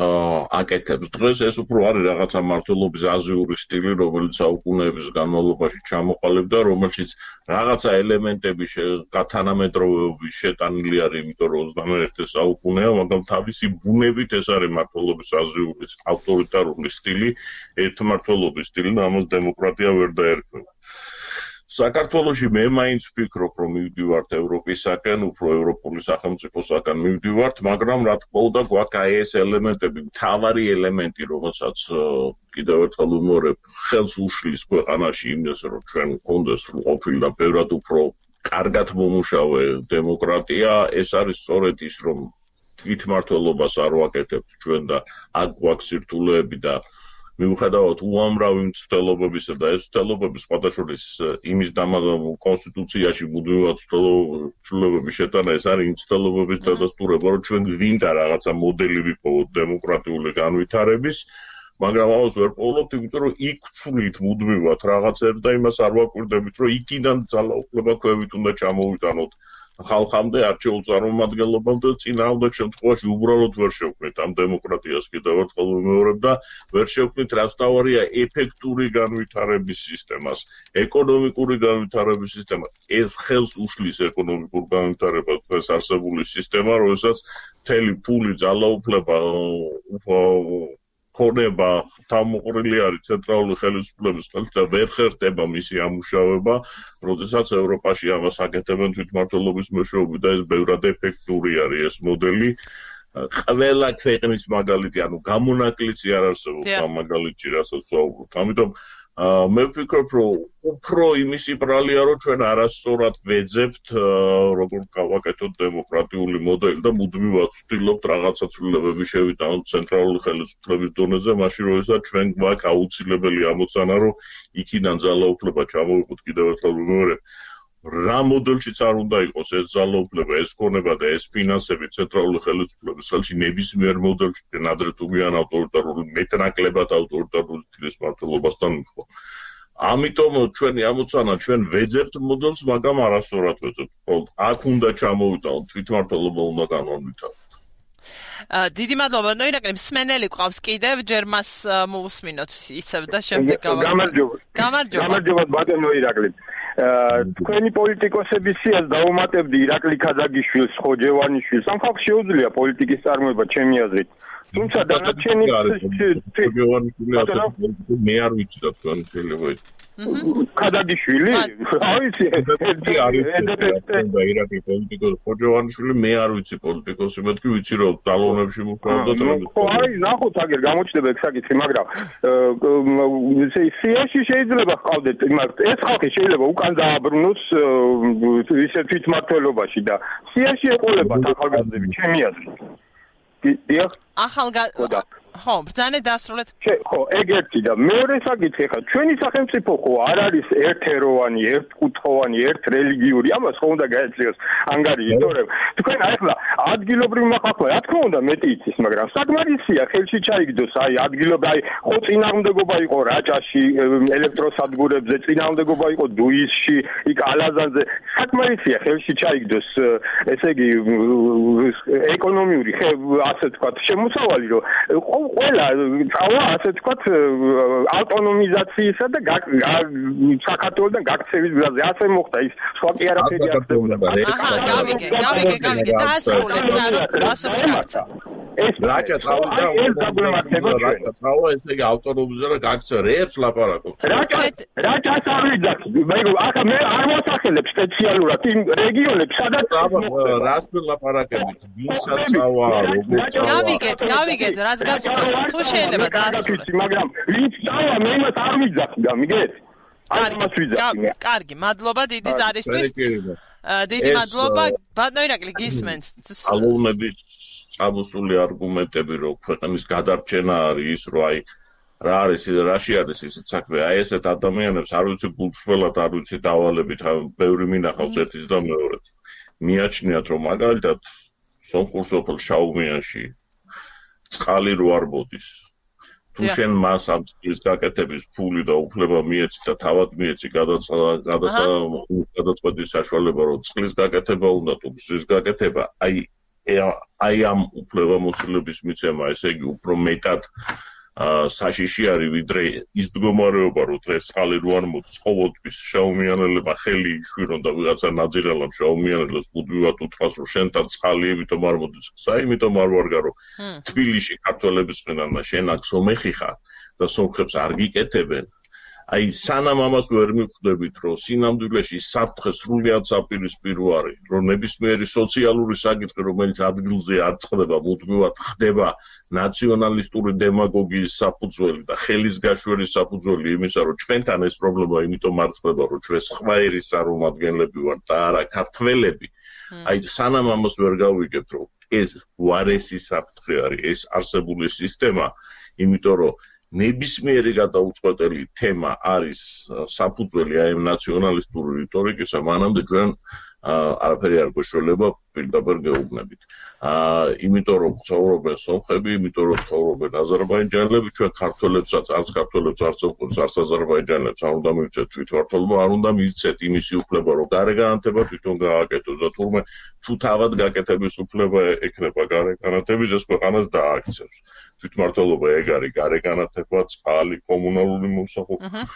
აკეთებს დღეს ეს უფრო არის რაღაცა მართლობის აზიური სტილი რომელიც საუკუნეების განმავლობაში ჩამოყალიბდა რომელშიც რაღაცა ელემენტები თანამედროვეობის შეტანილი არის იმიტომ რომ ოცდამეერთე საუკუნეა მაგრამ თავისი ბუნებით ეს არის მართლობის აზიური ავტორიტარული სტილი ერთმართველობის სტილი და ამას დემოკრატია ვერ დაერქმევა საქართველოში მე მაინც ვფიქრობ რომ მივდივართ ევროპისაკენ, უფრო ევროპული სახელმწიფოსაკენ მივდივართ, მაგრამ რა თქმა უნდა გვაქვს აი ეს ელემენტები, მთავარი ელემენტი, რომელსაც კიდევ ერთხელ ვიმეორებ, ხელს უშლის ქვეყანაში იმას, რომ ჩვენ გქონდეს სრულყოფილი და ბევრად უფრო კარგად მომუშავე დემოკრატია, ეს არის სწორედ ის, რომ თვითმმართველობას არ ვაკეთებთ ჩვენ და აქ გვაქვს სირთულეები და მიუხედავად უამრავი მცდელობებისა და ეს მცდელობები სხვადასხვის იმის კონსტიტუციაში მუდმივად ცვლილებების შეტანა ეს არის მცდელობების დადასტურება რომ ჩვენ გვინდა რაღაცა მოდელი ვიპოვოთ დემოკრატიული განვითარების მაგრამ ამას ვერ პოულობთ იმიტომ რომ იქ ვცვლით მუდმივად რაღაცებს და იმას არ ვაკვირდებით რომ იქიდან ძალაუფლება ქვევით უნდა ჩამოვიტანოთ ხალხამდე არჩეულ წარმომადგენლობამდე წინააღმდეგ შემთხვევაში უბრალოდ ვერ შევქმნით ამ დემოკრატიას კიდევ ერთხელ ვიმეორებ და ვერ შევქმნით რაც თავარია ეფექტური განვითარების სისტემას ეკონომიკური განვითარების სისტემას ეს ხელს უშლის ეკონომიკურ განვითარებას დღეს არსებული სისტემა როდესაც მთელი ფული ძალაუფლება ხონება თავმოყრილი არის ცენტრალური ხელისუფლების ხელით და ვერ ხერხდება მისი ამუშავება, როდესაც ევროპაში ამას აკეთებენ თვითმმართველობის მეშვეობით და ეს ბევრად ეფექტური არის ეს მოდელი. ყველა ქვეყნის მაგალითი, ანუ გამონაკლისი არ არსებობს ამ მაგალითში, რასაც ვსაუბრობთ. ამიტომ მე ვფიქრობ, რომ უფრო იმისი ბრალია, რომ ჩვენ არასწორად ვეძებთ, როგორ გავაკეთოთ დემოკრატიული მოდელი და მუდმივად ვცდილობთ რაღაცა ცვლილებები შევიტანოთ ცენტრალური ხელისუფლების დონეზე, მაშინ როდესაც ჩვენ გვაქვს აუცილებელი ამოცანა, რომ იქიდან ძალაუფლება ჩამოვიყოთ კიდევ ერთხელ ვიმეორებ. რა მოდელშიც არ უნდა იყოს ეს ძალაუფლება, ეს ქონება და ეს ფინანსები ცენტრალური ხელისუფლების ხელში ნებისმიერ მოდელში ნადრევ თუ გვიან ავტორიტარული მეტნაკლებად ავტორიტარული თბილისის მმართველობასთან მიხვდა. ამიტომ ჩვენი ამოცანა ჩვენ ვეძებთ მოდელს, მაგრამ არასწორად ვეძებთ. აქ უნდა ჩამოვიტანოთ თვითმმართველობა უნდა განვითარდეს. დიდი მადლობა, ნოირაკლი, მსმენელი ყავს კიდევ, ჯერ მას მოусმინოთ ისევ და შემდეგ გამარჯობა. გამარჯობა. გამარჯობა ბატონო ირაკლი. თქვენი პოლიტიკოსების სიას დაუმატებდი ირაკლი ქადაგიშვილს, ხოჯევანიშვილს. ამ ხალხს შეუძლია პოლიტიკის წარმოება ჩემი აზრით. თუმცა დანარჩენი ხოჯევანიშვილი ასე მე არ ვიცი რა თქვენ შეიძლება ქადაგიშვილი? რა ვიცი, ერთი არის და ირაკლი პოლიტიკოსი ხოჯევანიშვილი მე არ ვიცი პოლიტიკოსი, მეთქი ვიცი რომ დალონებში მუშაობდა და ხო, აი, ნახოთ აგერ გამოჩნდება ეგ საკითხი, მაგრამ სიაში შეიძლება ჰყავდეთ, ეს ხალხი შეიძლება უკან დააბრუნოს ისე თვითმმართველობაში და სიაში ეყოლებათ ახალგაზრდები, ჩემი აზრით. დიახ. ახალგაზრდა ხო, ბრძანე დასრულეთ. ხო, ეგ ერთი და მეორე საკითხი ხა, ჩვენი სახელმწიფო ხო არ არის ერთეროვანი, ერთკუთხოვანი, ერთრელიგიური, ამას ხო უნდა გაეწიოს ანგარიში, იმიტომ რომ თქვენ ახლა ადგილობრივ მოხალხე, რა თქმა უნდა მეტი იცის, მაგრამ საკმარისია ხელში ჩაიგდოს, აი ადგილობრივ, აი ხო წინააღმდეგობა იყო რაჭაში, ელექტროსადგურებზე, წინააღმდეგობა იყო დუისში, იქ ალაზანზე, საკმარისია ხელში ჩაიგდოს, ესე იგი ეკონომიური, ასე ვთქვათ, შემოსავალი, რომ ყველა წავა ასე ვთქვათ ავტონომიზაციისა და საქართველოსთან გაქცევის გზაზე ასე მოხდა ის სხვა კი არაფერი არ ხდებოდა. აჰა, გავიგე, გავიგე, გავიგე, დაასრულეთ რა რასობი გაქცა. ეს რაჭა წავიდა ეს დაგვემართება რაჭა წავა ესე იგი ავტონომიზა და გაქცა რეებს ლაპარაკობთ. რაჭა რაჭას არ ვიძახი. მე ახლა მე არ მოსახელებ სპეციალურად იმ რეგიონებს სადაც რას ლაპარაკებით ვისაც წავა როგორ გავიგეთ, გავიგეთ რაც გაწუხეთ თუ შეიძლება დაასრულეთ. მაგრამ ვინც წავა მე იმას არ ვიძახი, გამიგეთ? კარგი, მადლობა დიდი ზარისთვის. დიდი მადლობა, ბატონო ირაკლი გისმენთ. ალოვნების წამოსული არგუმენტები, რომ ქვეყნის გადარჩენა არის ის, რომ აი რა არის რაში არის ისეთ საქმე, აი ესეთ ადამიანებს არ ვიცი გულწრფელად, არ ვიცი დავალებით, ბევრი მინახავს ერთის და მეორეს. მიაჩნიათ, რომ მაგალითად სომხურ სოფელ შაუმიანში წყალი რო არ მოდის. თუ შენ მას ამ წყლის გაკეთების ფული და უფლება მიეცი და თავად მიეცი გადაწყვეტის საშუალება, რომ წყლის გაკეთება უნდა თუ გზის გაკეთება, აი აი ამ უფლებამოსილების მიცემა, ესე იგი უფრო მეტად საშიში არის, ვიდრე ის მდგომარეობა, რომ დღეს წყალი რო არ მოდის, ყოველთვის შაუმიანელებმა ხელი იშვირონ და ვიღაცა ნაძირალამ შაუმიანელებს მუდმივად უთხრას, რომ შენთან წყალი იმიტომ არ მოდის. საიმიტომ არ ვარგა, რომ თბილისში ქართველების ყინან და შენ აქ სომეხი ხარ და სომხებს არ გიკეთებენ. აი სანამ ამას ვერ მიხვდებით, რომ სინამდვილეში საფრთხე სრულიად საპირისპირო არის, რომ ნებისმიერი სოციალური საკითხი, რომელიც ადგილზე არ წყდება, მუდმივად ხდება ნაციონალისტური დემაგოგიის საფუძველი და ხელის გაშვერის საფუძველი იმისა, რომ ჩვენთან ეს პრობლემა იმიტომ არ წყდება, რომ ჩვენ სხვა ერის წარმომადგენლები ვართ და არა ქართველები. აი სანამ ამას ვერ გავიგებთ, რომ ეს უარესი საფრთხე არის, ეს არსებული სისტემა, იმიტომ რომ ნებისმიერი გადაუწყვეტელი თემა არის საფუძველი აი ამ ნაციონალისტური რიტორიკისა, მანამდე ჩვენ არაფერი არ გვეშველება პირდაპირ გეუბნებით. იმიტომ რომ ცხოვრობენ სომხები, იმიტომ რომ ცხოვრობენ აზერბაიჯანელები, ჩვენ ქართველებსაც, არც ქართველებს, არც სომხებს, არც აზერბაიჯანელებს არ უნდა მივცეთ თვითმართველობა, არ უნდა მივცეთ იმისი უფლება, რომ გარე განათება თვითონ გააკეთოს და თურმე თუ თავად გაკეთების უფლება ექნება გარე განათების, ეს ქვეყანას დააქცევს. თვითმართველობა ეგ არის გარე განათება, წყალი, კომუნალური მოსახლეობა.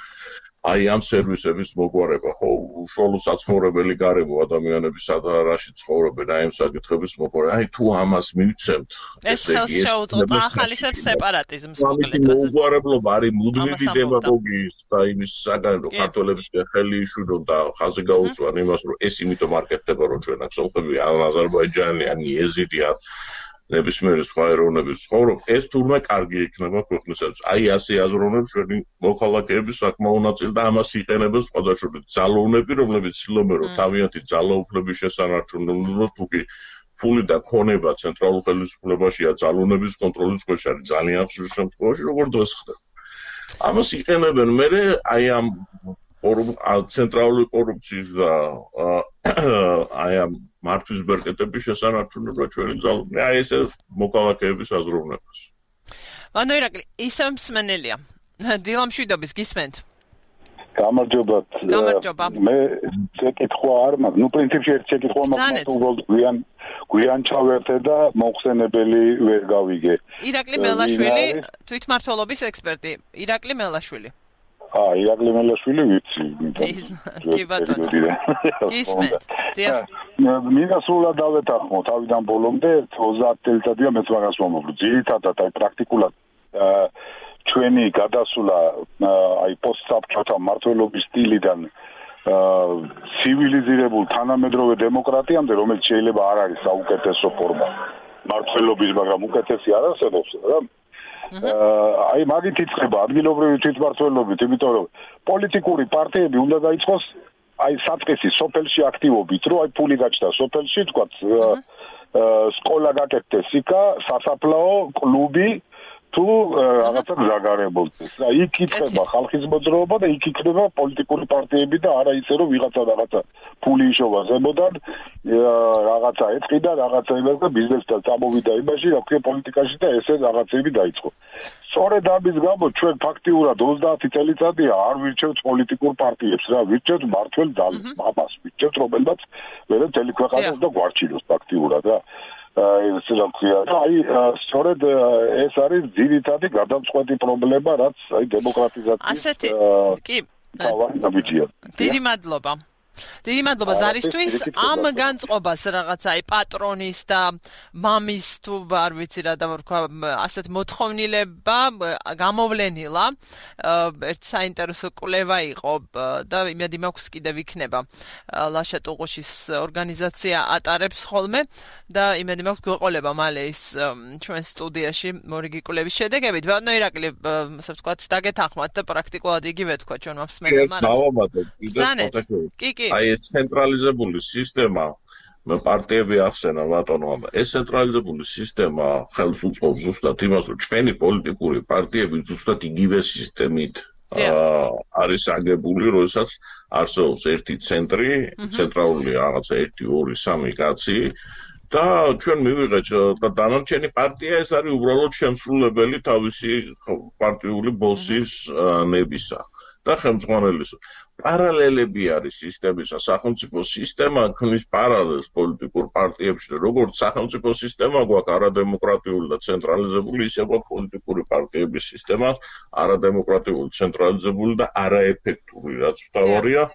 აი ამ სერვისების მოგვარება, ხო, უშუალო საცხოვრებელი გარემო ადამიანების სადარაში ცხოვრობენ, აი ამ საკითხების მოგვარება. აი თუ ამას მივცემთ, ეს ხელს შეუწყობს ახალისებს სეპარატიზმს მოკლედ. მოგვარებლობა არის მუდმივი დემაგოგიის და იმის საგანი, რომ ქართველების ხელი იშვირონ და ხაზი გაუსვან იმას, რომ ეს იმიტომ არ კეთდება, რომ ჩვენ აქ სომხები, ან აზერბაიჯანი, ან იეზიდი, ან ნებისმიერი სხვა ეროვნების ცხოვრობ, ეს თურმე კარგი იქნება ქვეყნისათვის. აი ასე აზროვნებს ჩვენი მოქალაქეები საკმაო ნაწილი და ამას იყენებენ სხვადასხვა ძალოვნები, რომლებიც ცდილობენ, რომ თავიანთი ძალაუფლების შესანარჩუნებლად თუ კი ფული და ქონება ცენტრალურ ხელისუფლებაშია ძალოვნების კონტროლის ქვეშ არის ძალიან ხშირ შემთხვევაში, როგორც დღეს ხდება. ამას იყენებენ მერე აი ამ ცენტრალური კორუფციის და აი ამ მართვის ბერკეტების შესანარჩუნება ჩვენი ძალოვნები. აი ესე მოქალაქეების აზროვნებას. ანუ ირაკლი, ისევ მსმენელია. დილა მშვიდობის გისმენთ. გამარჯობათ. გამარჯობა. მე შეკითხვა არ მაქვს. ნუ პრინციპში ერთ შეკითხვა მაქვს, უბრალოდ გვიან გვიან ჩავერთე და მოხსენებელი ვერ გავიგე. ირაკლი მელაშვილი, თვითმმართველობის ექსპერტი. ირაკლი მელაშვილი. აა, ირაკლი მელაშვილი ვიცი. კი ბატონო. გისმენთ. დიახ. მინდა სრულად დავეთანხმო თავიდან ბოლომდე ოცდაათი წელიწადია მეც მაგას ვამბობ. ძირითადად აი პრაქტიკულად ჩვენი გადასვლა აი პოსტსაბჭოთა მმართველობის სტილიდან ცივილიზირებულ თანამედროვე დემოკრატიამდე, რომელიც შეიძლება არ არის საუკეთესო ფორმა მმართველობის, მაგრამ უკეთესი არ არსებობს რა. აი მაგით იწყება ადგილობრივი თვითმმართველობით, იმიტომ რომ პოლიტიკური პარტიები უნდა დაიწყოს აი საწყისი სოფელში აქტივობით, რომ აი ფული გაჩნდა სოფელში, თქვა სკოლა გაკეთდეს იქა, სასაფლაო, კლუბი თუ რაღაცა გზაგარებულდეს. აი იქ იწყება ხალხის მოძრაობა და იქ იქნება პოლიტიკური პარტიები და არა ისე რომ ვიღაცა რაღაცა ფული იშოვა ზემოდან, რაღაცა ეწყი და რაღაცა იმას და ბიზნესთან წამოვიდა იმაში, რა ქვია პოლიტიკაში და ესე რაღაცები დაიწყო. სწორედ ამის გამო ჩვენ ფაქტიურად ოცდაათი წელიწადია არ ვირჩევთ პოლიტიკურ პარტიებს რა, ვირჩევთ მმართველ ძალებს, ამას ვირჩევთ, რომელმაც ვერა მთელი ქვეყანა უნდა გვარჩინოს ფაქტიურად რა. ეს რა ქვია, აი სწორედ ეს არის ძირითადი გადამწყვეტი პრობლემა, რაც აი დემოკრატიზაციის ასეთი კი თავი გამიჩია. დიდი მადლობა. დიდი მადლობა ზარისთვის ამ განწყობას რაღაცა აი პატრონის და მამის თუ არ ვიცი რა დავარქვა ასეთ მოთხოვნილება გამოვლენილა ერთ საინტერესო კვლევა იყო და იმედი მაქვს კიდევ იქნება ლაშა ტუღუშის ორგანიზაცია ატარებს ხოლმე და იმედი მაქვს გვეყოლება მალე ის ჩვენ სტუდიაში მორიგი კვლევის შედეგებით. ბატონო ირაკლი, ასე ვთქვათ, დაგეთანხმათ და პრაქტიკულად იგივე თქვა ჩვენ მსმენელმა. კი, კი. აი ეს ცენტრალიზებული სისტემა მე პარტიები ახსენა ბატონო, ეს ცენტრალიზებული სისტემა ხელს უწყობს ზუსტად იმას, რომ ჩვენი პოლიტიკური პარტიები ზუსტად იგივე სისტემით არის აგებული, როდესაც არსებობს ერთი ცენტრი, ცენტრალური რაღაცა ერთი, ორი, სამი კაცი და ჩვენ მივიღეთ და დანარჩენი პარტია ეს არის უბრალოდ შემსრულებელი თავისი პარტიული ბოსის ნებისა და ხელმძღვანელის. პარალელები არის სისტემისა, სახელმწიფო სისტემა ქმნის პარალელს პოლიტიკურ პარტიებში, როგორც სახელმწიფო სისტემა გვაქვს არადემოკრატიული და ცენტრალიზებული, ისე გვაქვს პოლიტიკური პარტიების სისტემა, არადემოკრატიული, ცენტრალიზებული და არაეფექტური, რაც მთავარია.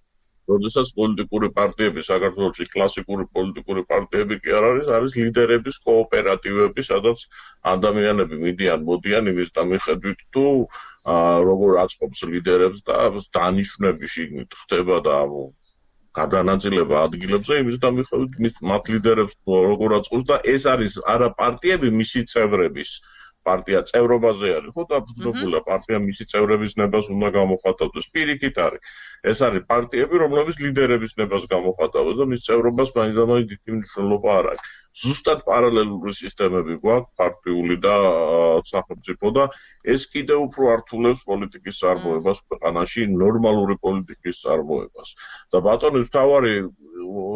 როდესაც პოლიტიკური პარტიები საქართველოში კლასიკური პოლიტიკური პარტიები კი არ არის, არის ლიდერების კოოპერატივები, სადაც ადამიანები მიდიან, მოდიან იმის და მიხედვით თუ როგორ აწყობს ლიდერებს და დანიშვნები შიგნით ხდება და გადანაწილება ადგილებზე იმის და მიხედვით მათ ლიდერებს როგორ აწყობს და ეს არის არა პარტიები მისი წევრების პარტია წევრობაზე არის ხო დაფუძნებულია პარტია მისი წევრების ნებას უნდა გამოხატავდეს პირიქით არის ეს არის პარტიები რომლებიც ლიდერების ნებას გამოხატავენ და მის წევრობას მაინც დიდი მნიშვნელობა არ აქვს ზუსტად პარალელური სისტემები გვაქვს პარტიული და სახელმწიფო და ეს კიდევ უფრო ართულებს პოლიტიკის წარმოებას ქვეყანაში ნორმალური პოლიტიკის წარმოებას და ბატონის მთავარი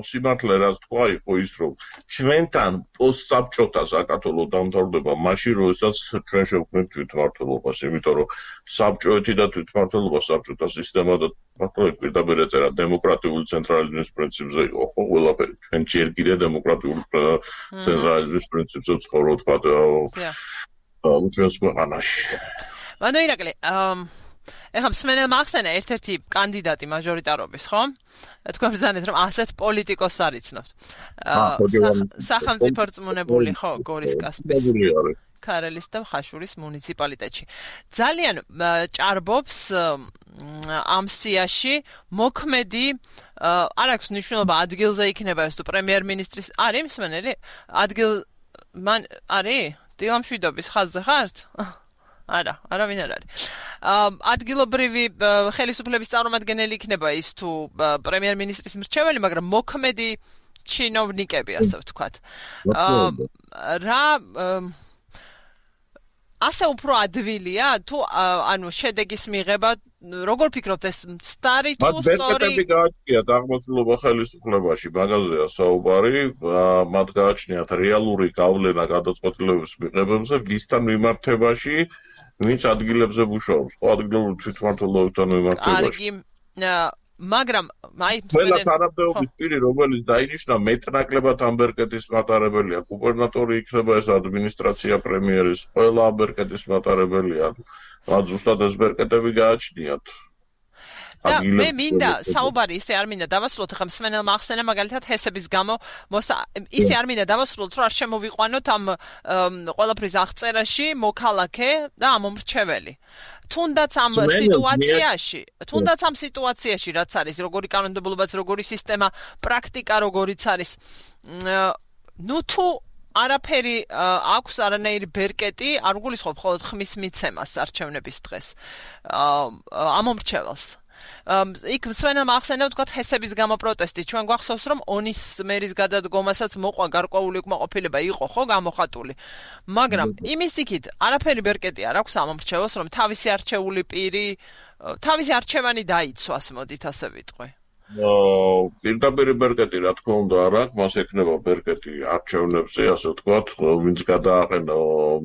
სიმართლე რაც თქვა იყო ის რომ ჩვენთან პოსტსაბჭოთა საქართველოს დამთავრდება მაშინ როდესაც ჩვენ შევქმნით თვითმმართველობას იმიტომ რომ საბჭოეთი და თვითმმართველობა საბჭოთა სისტემა და ბატონი პირდაპირ ეწერა დემოკრატიული ცენტრალიზმის პრინციპზე იყო ხო ყველაფერი ჩვენ ჯერ კიდევ დემოკრატიული ცენტრალიზმის პრინციპზე ვცხოვრობთ ჩვენს ქვეყანაში მანო ირაკლი ეხლა მსმენელმა ახსენა ერთ-ერთი კანდიდატი მაჟორიტარობის, ხო? თქვენ ბრძანეთ რომ ასეთ პოლიტიკოს არიცნობთ. სახელმწიფო რწმუნებული ხო გორის კასპის ქარელის და ხაშურის მუნიციპალიტეტში. ძალიან ჭარბობს ამ სიაში მოქმედი არ აქვს მნიშვნელობა ადგილზე იქნება ეს თუ პრემიერ-მინისტრის არის მსმენელი ადგილ მან არის დილამშვიდობის ხაზზე ხართ? არა, არავინ არ არის. ადგილობრივი ხელისუფლების წარმომადგენელი იქნება ის თუ პრემიერ-მინისტრის მრჩეველი, მაგრამ მოქმედი ჩინოვნიკები, ასე ვთქვათ. რა ასე უფრო ადვილია თუ ანუ შედეგის მიღება როგორ ფიქრობთ ეს მცდარი თუ სწორი? მათ ბერკეტები გააჩნიათ აღმოსავლობა ხელისუფლებაში, მაგაზეა საუბარი, მათ გააჩნიათ რეალური გავლენა გადაწყვეტილების მიღებებზე, ვისთან მიმართებაში ვინც ადგილებზე მუშაობს, ხო ადგილობრივ თვითმმართველობასთან მიმართებაში. კარგი, მაგრამ აი ყველა თანამდებობის პირი, რომელიც დაინიშნა მეტნაკლებად ამ ბერკეტის მატარებელია, გუბერნატორი იქნება ეს ადმინისტრაცია პრემიერის, ყველა ამ ბერკეტის მატარებელია. მათ ზუსტად ეს ბერკეტები გააჩნიათ. და მე მინდა საუბარი ისე არ მინდა დავასრულოთ ახლა მსმენელმა ახსენა მაგალითად ჰესების გამო ისე არ მინდა დავასრულოთ რომ არ შემოვიყვანოთ ამ ყველაფრის აღწერაში მოქალაქე და ამომრჩეველი თუნდაც ამ სიტუაციაში თუნდაც ამ სიტუაციაში რაც არის როგორი კანონმდებლობაც როგორი სისტემა პრაქტიკა როგორიც არის ნუ თუ არაფერი აქვს არანაირი ბერკეტი არ გულისხმობ მხოლოდ ხმის მიცემას არჩევნების დღეს ამომრჩეველს იქ მსმენელმა ახსენა ვთქვათ ჰესების გამო პროტესტი ჩვენ გვახსოვს რომ ონის მერის გადადგომასაც მოყვა გარკვეული უკმაყოფილება იყო ხო გამოხატული მაგრამ იმის იქით არაფერი ბერკეტი არ აქვს ამომრჩეველს რომ თავისი არჩეული პირი თავისი არჩევანი დაიცვას მოდით ასე ვიტყვი პირდაპირ ბერკეტი რა თქმა უნდა არ აქვს მას ექნება ბერკეტი არჩევნებზე ასე ვთქვათ ვინც გადააყენა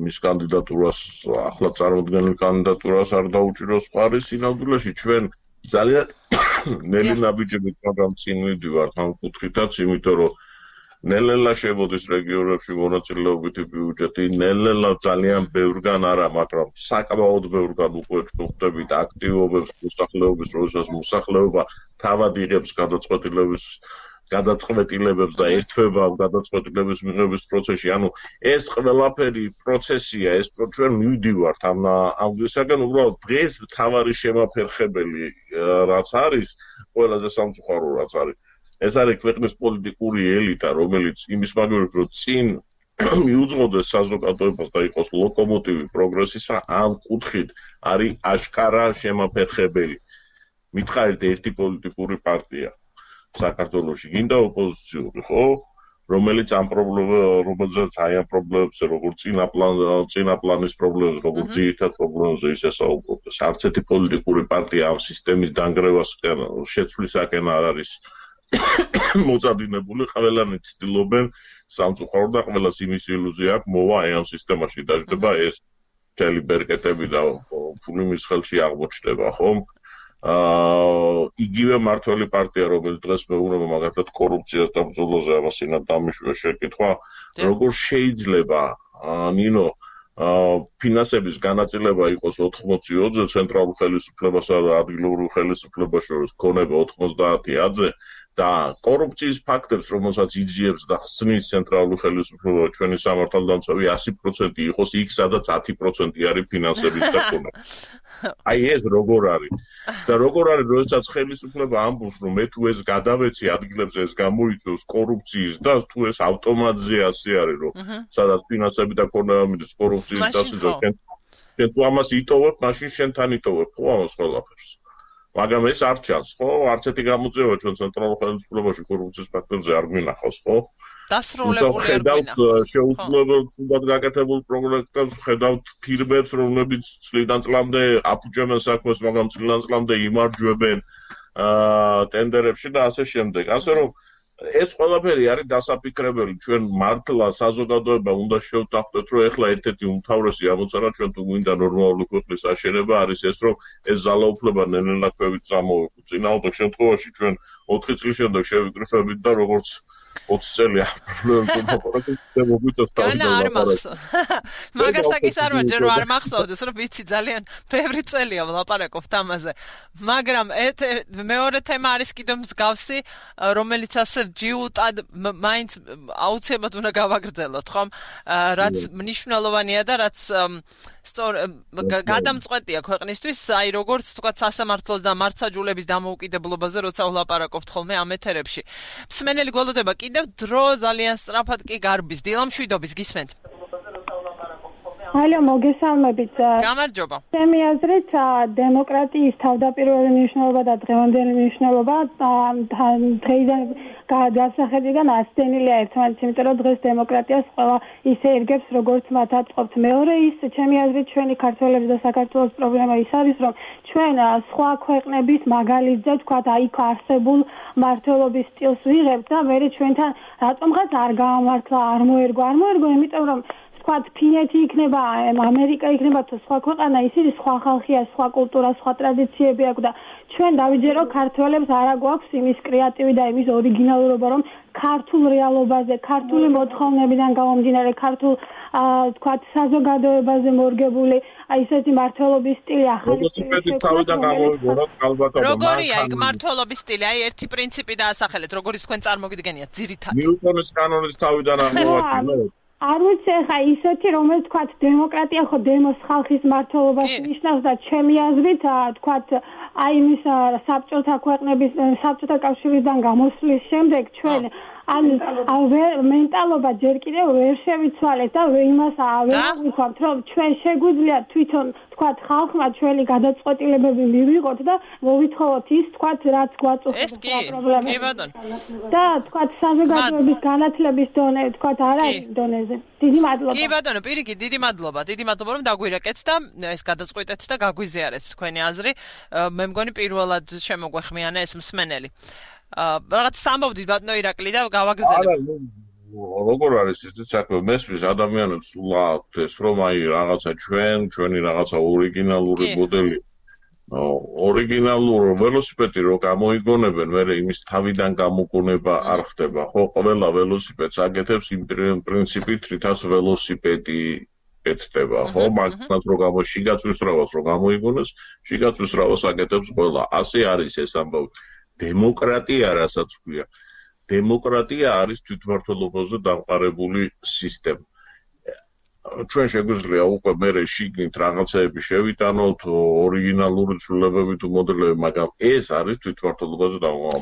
მის კანდიდატურას ახლა წარმოქმნილ კანდიდატურას არ დაუჭიროს მხარი სინამდვილეში ჩვენ ძალიან ნელი ნაბიჯებით მაგრამ წინ მივდივართ ამ კუთხითაც, იმიტომ რომ ნელ-ნელა შემოდის რეგიონებში მონაწილეობითი ბიუჯეტი, ნელ-ნელა ძალიან ბევრგან არა, მაგრამ საკმაოდ ბევრგან უკვე ვხვდებით აქტივობებს მოსახლეობის, როდესაც მოსახლეობა თავად იღებს გადაწყვეტილების გადაწყვეტილებებს და ერთვება გადაწყვეტილების მიღების პროცესში. ანუ ეს ყველაფერი პროცესია, ეს ჩვენ მივდივართ ამ ამისაგან უბრალოდ დღეს მთავარი შემაფერხებელი რაც არის, ყველაზე სამწუხარო რაც არის. ეს არის ქვეყნის პოლიტიკური ელიტა, რომელიც იმის მაგალითად რომ წინ მიუძღოდეს საზოგადოებას და იყოს ლოკომოტივი პროგრესისა, ამ კუთხით არის აშკარა შემაფერხებელი. მითხარით ერთი პოლიტიკური პარტია საქართველოში გინდა ოპოზიციური, ხო? რომელიც ამ პრობლემებს, რომელზეც აი ამ პრობლემებზე, როგორც წინა პლანი, წინა პლანის პრობლემებს, როგორც ძირითად პრობლემებზე ისე საუბრობს. არც ერთი პოლიტიკური პარტია ამ სისტემის დანგრევას შეცვლისაკენ არ არის მოწადინებული, ყველანი ცდილობენ სამწუხაროდ და ყველას იმის ილუზია აქვს, მოვა ეამ სისტემაში დაждდება ეს მთელი ბერკეტები და ფული მის ხელში აღმოჩნდება, ხო? აა იგივე მართველი პარტია, რომელიც დღეს მეუბნება მაგალითად კორუფციას და ბრძოლაზე ამასინა დამიშვია შეკითხვა, როგორ შეიძლება ნინო ფინანსების განაწილება იყოს ოთხმოცი ოცზე ცენტრალურ ხელისუფლებასა და ადგილობრივ ხელისუფლებას შორის ქონება ოთხმოცდაათი ათზე და კორუფციის ფაქტებს, რომელსაც იძიებს და ხსნის ცენტრალური ხელისუფლება ჩვენი სამართალდამცავი ასი პროცენტი იყოს იქ, სადაც ათი პროცენტი არის ფინანსების და ქონება. აი ეს როგორ არის? და როგორ არის, როდესაც ხელისუფლება ამბობს, რომ მე თუ ეს გადავეცი ადგილებზე ეს გამოიწვევს კორუფციის და თუ ეს ავტომატზე ასე არის, რომ სადაც ფინანსები და ქონება მიდის კორუფციის დასაძლო, შენ თუ ამას იტოვებ, მაშინ შენთან იტოვებ, ხო ამას ყველაფერს. მაგრამ ეს არ ჩანს, ხო? არც ერთი გამოძიება ჩვენ ცენტრალურ ხელისუფლებაში კორუფციის ფაქტებზე არ გვინახავს, ხო? დასრულებული არ გვინახავს. შეუძლებლად ცუდად გაკეთებულ პროექტებს ხედავთ ფირმებს, რომლებიც წლიდან წლამდე აფუჭებენ საქმეს, მაგრამ წლიდან წლამდე იმარჯვებენ აა ტენდერებში და ასე შემდეგ. ასე რომ ეს ყველაფერი არის დასაფიქრებელი. ჩვენ მართლა საზოგადოება უნდა შევთანხმდეთ, რომ ეხლა ერთ-ერთი უმთავრესი ამოცანა ჩვენ თუ გვინდა ნორმალური ქვეყნის აშენება არის ეს, რომ ეს ძალაუფლება ნელ-ნელა წამოვეყოთ. წინააღმდეგ შემთხვევაში ჩვენ ოთხი წლის შემდეგ შევიკრიფებით და როგორც ოცი წელია განა არ მახსოვს. მაგასაკის არ ვარ, ჯერ არ მახსოვდეს, რომ ვიცი ძალიან ბევრი წელია ვლაპარაკობთ ამაზე. მაგრამ მეორე თემა არის კიდევ მსგავსი, რომელიც ასე ჯიუტად მაინც აუცილებლად უნდა გავაგრძელოთ, ხომ? რაც მნიშვნელოვანია და რაც სწორ გადამწყვეტია ქვეყნისთვის, აი როგორც თქვა სასამართლოს და მართლმსაჯულების დამოუკიდებლობაზე, როცა ვლაპარაკობთ ხოლმე ამ ეთერებში. მსმენელი გველოდება კიდევ დრო ძალიან სწრაფად კი გარბის. დილამშვიდობის გისმენთ. ალო, მოგესალმებით. გამარჯობა. ჩემი აზრით, დემოკრატიის თავდაპირველი მნიშვნელობა და დღევანდელი მნიშვნელობა დღეიდან გადასახედიდან ასწენილია ერთმანეთს, იმიტომ რომ დღეს დემოკრატიას ყველა ისე ერგებს, როგორც მათ აწყობთ. მეორე ის, ჩემი აზრით, ჩვენი ქართველების და საქართველოს პრობლემა ის არის, რომ ჩვენ სხვა ქვეყნების მაგალითზე, თქვათ, აიქ არსებულ მართლობის სტილს ვიღებთ და მე ჩვენთან რატომღაც არ გაამართლა, არ მოერგო, არ მოერგო, იმიტომ რომ თქვათ, ფინეთი იქნება, ამერიკა იქნება თუ სხვა ქვეყანა, ისინი სხვა ხალხია, სხვა კულტურა, სხვა ტრადიციები აქვს და ჩვენ დავიჯერო ქართველებს არა გვაქვს იმის კრეატივი და იმის ორიგინალურობა, რომ ქართულ რეალობაზე, ქართული მოთხოვნებიდან გამომდინარე, ქართულ თქვათ, საზოგადოებაზე მორგებული ისეთი მართლობის სტილი ახალი სტილი თავიდან გამოვიგონოთ ალბათ. როგორია იქ მართლობის სტილი? აი ერთი პრინციპი დაასახელეთ, როგორც თქვენ წარმოგიდგენიათ ძირითადად. ნიუტონის კანონის თავიდან აღმოვაჩინოთ. არ ვიცი, ხა ისეთი, რომელიც თქვათ, დემოკრატია ხო დემოს ხალხის მართლობას ნიშნავს და ჩემი აზრით, თქვათ, აი იმის საბჭოთა ქვეყნების, საბჭოთა კავშირიდან გამოსვლის შემდეგ ჩვენ ან მენტალობა ჯერ კიდევ ვერ შევიცვალეთ და იმას ვერ ვიქოთ, რომ ჩვენ შეგვიძლია თვითონ თქვათ ხალხმა ჩვენი გადაწყვეტილებები მივიღოთ და მოვითხოვოთ ის თქვათ რაც გვაწუხებს პრობლემები. და თქვათ საზოგადოების განათლების დონე თქვათ არ არის დონეზე. დიდი მადლობა. კი ბატონო, პირიქით, დიდი მადლობა. დიდი მადლობა რომ დაგვირეკეთ და ეს გადაწყვეტეთ და გაგვიზიარეთ თქვენი აზრი. მე მგონი პირველად შემოგვეხმიანა ეს მსმენელი. რაღაც სამბობდით ბატონო ირაკლი და გავაგრძელებ. როგორ არის ეს საქმე? მესმის ადამიანებს სულ აქვთ ეს რომ აი რაღაცა ჩვენ, ჩვენი რაღაცა ორიგინალური მოდელი. ორიგინალური ველოსიპედი რო გამოიგონებენ, მე იმის თავიდან გამოგონება არ ხდება, ხო? ყველა ველოსიპედს აკეთებს იმ პრინციპით, რითაც ველოსიპედი ეთდება, ხო? მაგას რო გამო შიგაწვის რავალს რო გამოიგონეს, შიგაწვის რავალს აკეთებს ყველა. ასე არის ეს ამბავი. დემოკრატია რასაც ქვია. დემოკრატია არის თვითმმართველობაზე დამყარებული სისტემა. ჩვენ შეგვიძლია უკვე მერე შიგნით რაღაცეები შევიტანოთ, ორიგინალური ცვლილებები თუ მოდელები, მაგრამ ეს არის თვითმმართველობაზე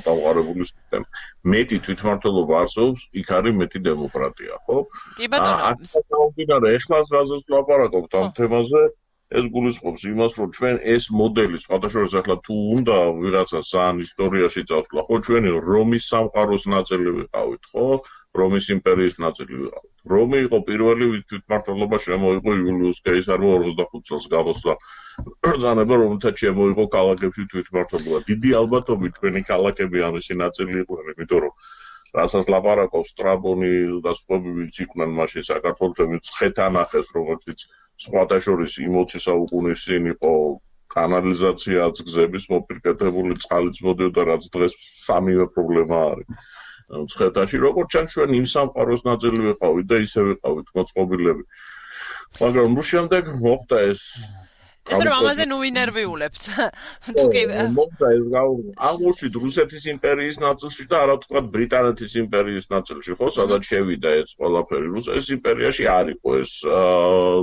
დამყარებული სისტემა. მეტი თვითმმართველობა არსებობს, იქ არის მეტი დემოკრატია, ხო? კი ბატონო. ახლა ეხლა რაზეც ვლაპარაკობთ ამ თემაზე, ეს გულისხმობს იმას, რომ ჩვენ ეს მოდელი, სხვადასხვა ახლა თუ უნდა ვიღაცა ძალიან ისტორიაში წავსვლა, ხო, ჩვენი რომის სამყაროს ნაწილი ვიყავით, ხო? რომის იმპერიის ნაწილი ვიყავით. რომ იყო პირველი თვითმმართველობა შემოიღო იულიუს კეისარმა ოცდახუთ წელს გამოსვლა ბრძანება, რომელთაც შემოიღო ქალაქებში თვითმმართველობა. დიდი ალბათობით თქვენი ქალაქები ამისი ნაწილი იყვნენ, იმიტომ რომ რასაც ლაპარაკობს სტრაბონი და სხვები ვინც იყვნენ მაშინ საქართველოს ცხეთანახეს, რომელიც სხვათა შორის ოცი საუკუნის წინ იყო კანალიზაციაც გზების მოპირკეთებული, წყალიც მოდიოდა, რაც დღეს სამივე პრობლემა არის. ცხეთაში როგორც ჩანს ჩვენ იმ სამყაროს ნაწილი ვიყავით და ისე ვიყავით მოწყობილები. მაგრამ ნუ შემდეგ მოხდა ეს ეს რომ ამაზე ნუ ინერვიულებთ. თუ კი მოხდა ეს აღმოჩნდა რუსეთის იმპერიის ნაწილში და არა ვთქვათ ბრიტანეთის იმპერიის ნაწილში, ხო, სადაც შევიდა ეს ყველაფერი. რუსეთის იმპერიაში არ იყო ეს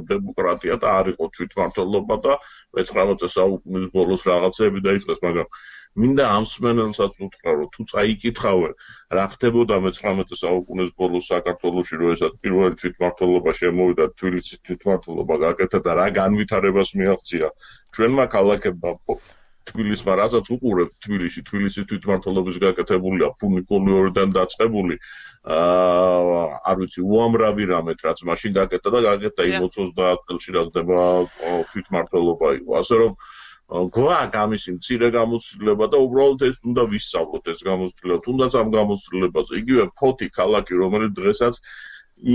დემოკრატია და არ იყო თვითმმართველობა და მეცხრამეტე საუკუნის ბოლოს რაღაცები დაიწყეს, მაგრამ მინდა ამ მსმენელსაც უთხრა, რომ თუ წაიკითხავენ, რა ხდებოდა მეცხრამეტე საუკუნის ბოლოს საქართველოში, როდესაც პირველი თვითმმართველობა შემოვიდა, თბილისის თვითმმართველობა გაკეთა და რა განვითარებას მიაღწია ჩვენმა ქალაქებმა თბილისმა, რასაც უყურებთ თბილისში, თბილისის თვითმმართველობის გაკეთებულია ფუნიკულიორიდან დაწყებული, აა არ ვიცი, უამრავი რამეთ, რაც მაშინ გაკეთა და გაკეთა იმ ოცდაათ წელში, რა ხდება თვითმმართველობა იყო. ასე რომ გვაქვს ამისი მცირე გამოცდილება და უბრალოდ ეს უნდა ვისწავლოთ ეს გამოცდილება, თუნდაც ამ გამოცდილებაზე. იგივე ფოთი ქალაქი, რომელიც დღესაც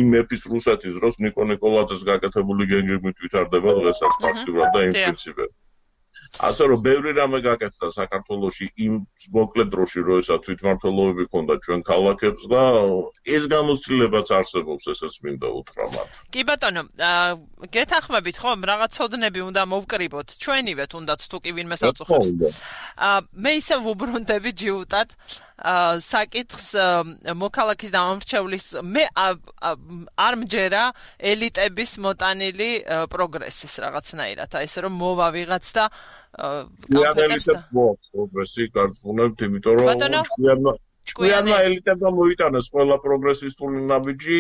იმ მეფის რუსეთის დროს ნიკო ნიკოლაძეს გაკეთებული გენგებით ვითარდება დღესაც ფაქტურად და იმ პრინციპებით. ასე რომ ბევრი რამე გაკეთდა საქართველოში იმ მოკლე დროში, როდესაც თვითმმართველობები ჰქონდა ჩვენ ქალაქებს და ეს გამოცდილებაც არსებობს, ესეც მინდა უთხრა მათ. კი ბატონო, გეთანხმებით ხო, რაღაც ცოდნები უნდა მოვკრიბოთ ჩვენივე, თუნდაც თუ კი ვინმე საუბრობს. მე ისე ვუბრუნდები ჯიუტად საკითხს მოქალაქის დამამრჩევლის მე არ მჯერა ელიტების მოტანილი პროგრესის რაღაცნაირად, აი ესე რომ მოვა ვიღაც და გამფეთებს და პროგრესი გარკვეულებით, იმიტომ რომ ჭკვიანმა ჭკვიანმა ელიტებმა მოიტანეს ყველა პროგრესისტული ნაბიჯი,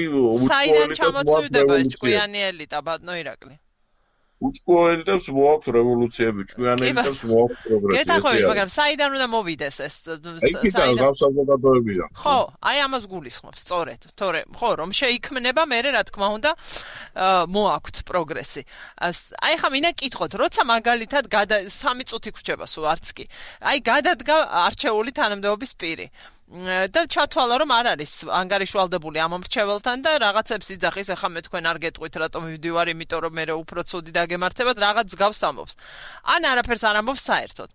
საიდან ჩამოწვიდება ეს ჭკვიანი ელიტა, ბატონო ირაკლი? უწყო ელიტებს მოაქვს რევოლუციები, ჭკვიანი ელიტებს მოაქვს პროგრესი. გეთანხმებით, მაგრამ საიდან უნდა მოვიდეს ეს? საიდან გავსაზოგადოებიდან. ხო, აი ამას გულისხმობს, სწორედ. თორე, ხო, რომ შეიქმნება, მე რა თქმა უნდა, მოაქვთ პროგრესი. აი ხა მინდა კითხოთ, როცა მაგალითად სამი წუთი გრჩება სულ არც კი. აი გადადგა არჩეული თანამდებობის პირი. და ჩათვალა რომ არ არის ანგარიშვალდებული ამ მრჩეველთან და რაღაცებს იძახის, ახლა მე თქვენ არ გეტყვით რატომ ვიდივარ, იმიტომ რომ მე უფრო ცუდი დაგემართებათ, რაღაც გავს ამბობს. ან არაფერს არ ამბობს საერთოდ.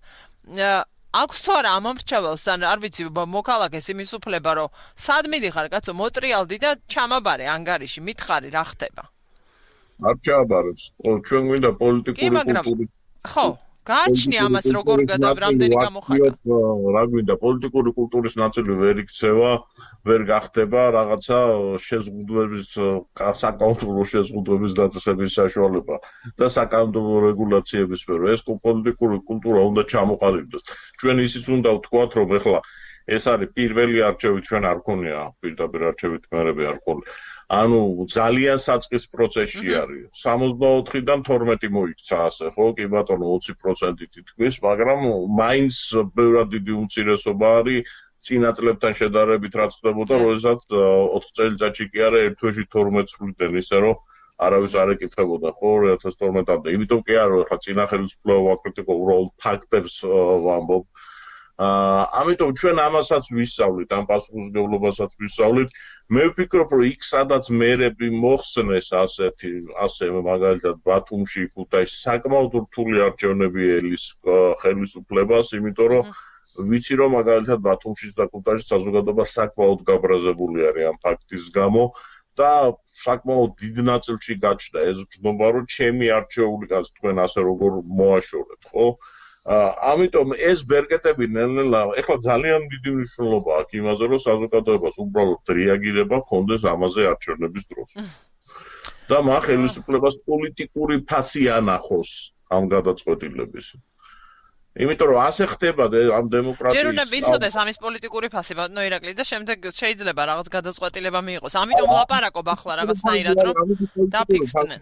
აქვს თუ არა ამ მრჩეველს, ან არ ვიცი, მოქალაქეს იმის უფლება, რომ სად მიდიხარ, კაცო, მოტრიალდი და ჩამაბარე ანგარიში, მითხარი რა ხდება. არ ჩააბარებს. ჩვენ გვინდა პოლიტიკური კულტურა. ხო. გააჩნია ამას როგორ რამდენი გამოხატა. რა გვინდა პოლიტიკური კულტურის ნაწილი ვერ იქცევა, ვერ გახდება რაღაცა შეზღუდვების საკანონმდებლო შეზღუდვების დაწესების საშუალება და საკანონმდებლო რეგულაციების სფერო. ეს პოლიტიკური კულტურა უნდა ჩამოყალიბდეს. ჩვენ ისიც უნდა ვთქვათ, რომ ეხლა ეს არის პირველი არჩევი, ჩვენ არ გქონია პირდაპირ არჩევით მერები არ ყოლი. ანუ ძალიან საწყის პროცესში არის. სამოცდაოთხიდან თორმეტი მოიქცა ასე, ხო? კი ბატონო, ოცი პროცენტი თითქმის, მაგრამ მაინც ბევრად დიდი უმცირესობა არის წინა წლებთან შედარებით, რაც ხდებოდა, როდესაც ოთხ წელიწადში კი არა, ერთ თვეში თორმეტს ხვდნენ, ისე რომ არავის არ ეკითხებოდა, ხო, ორი ათას თორმეტამდე. იმიტომ კი არა, ხა წინა ხელისუფლება ვაკრიტიკო, უბრალოდ ფაქტებს ვამბობ. აა ამიტომ ჩვენ ამასაც ვისწავლით, ამ პასუხისმგებლობასაც ვისწავლით. მე ვფიქრობ, რომ იქ სადაც მერები მოხსნეს ასეთი, ასე მაგალითად ბათუმში, ქუთაისში საკმაოდ რთული არჩევნები ელის ხელისუფლებას, იმიტომ რომ ვიცი რომ მაგალითად ბათუმში და ქუთაისში საზოგადოება საკმაოდ გაბრაზებული არის ამ ფაქტის გამო და საკმაოდ დიდ ნაწილში გაჩნდა ეს გზნობა, რომ ჩემი არჩეული კაც თქვენ ასე როგორ მოაშორეთ, ხო? ამიტომ ეს ბერკეტები ნელ-ნელა ეხლა ძალიან დიდი მნიშვნელობა აქვს იმაზე, რომ საზოგადოებას უბრალოდ რეაგირება ჰქონდეს ამაზე არჩევნების დროს. და მაგ ხელისუფლებას პოლიტიკური ფასი ანახოს ამ გადაწყვეტილების. იმიტომ რომ ასე ხდება ამ დემოკრატიის. ჯერ უნდა ვიცოდეს ამის პოლიტიკური ფასი, ბატონო ირაკლი და შემდეგ შეიძლება რაღაც გადაწყვეტილება მიიღოს. ამიტომ ვლაპარაკობ ახლა რაღაცნაირად რომ დაფიქრდნენ.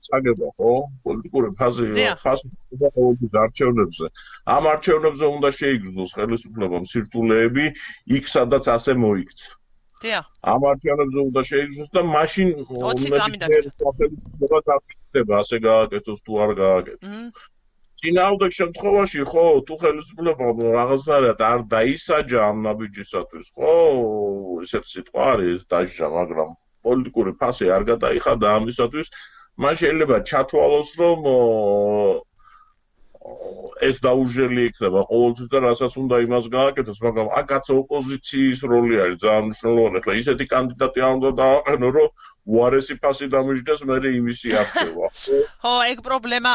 საგება ხო პოლიტიკური ფაზი ფასი და ყოველთვის არჩევნებზე ამ არჩევნებზე უნდა შეიგრძნოს ხელისუფლებამ სირთულეები იქ სადაც ასე მოიქცა დიახ. ამ არჩევნებზე უნდა შეიძინოს და მაშინ ნებისმიერ დაფიქრება ასე გააკეთოს თუ არ გააკეთოს. წინააღმდეგ შემთხვევაში ხო თუ ხელისუფლება რაღაცნაირად არ დაისაჯა ამ ნაბიჯისათვის, ხო, ესეთი სიტყვა არის დაჟა, მაგრამ პოლიტიკური ფასი არ გადაიხადა ამისათვის, მან შეიძლება ჩათვალოს, რომ ეს დაუჟელი იქნება ყოველთვის და რასაც უნდა იმას გააკეთოს, მაგრამ აქაც ოპოზიციის როლი არის ძალიან მნიშვნელოვანი. ახლა ისეთი კანდიდატი არ უნდა დააყენო, რომ უარესი ფასი დამიჯდეს, მერე იმისი არჩევა. ხო, ეგ პრობლემა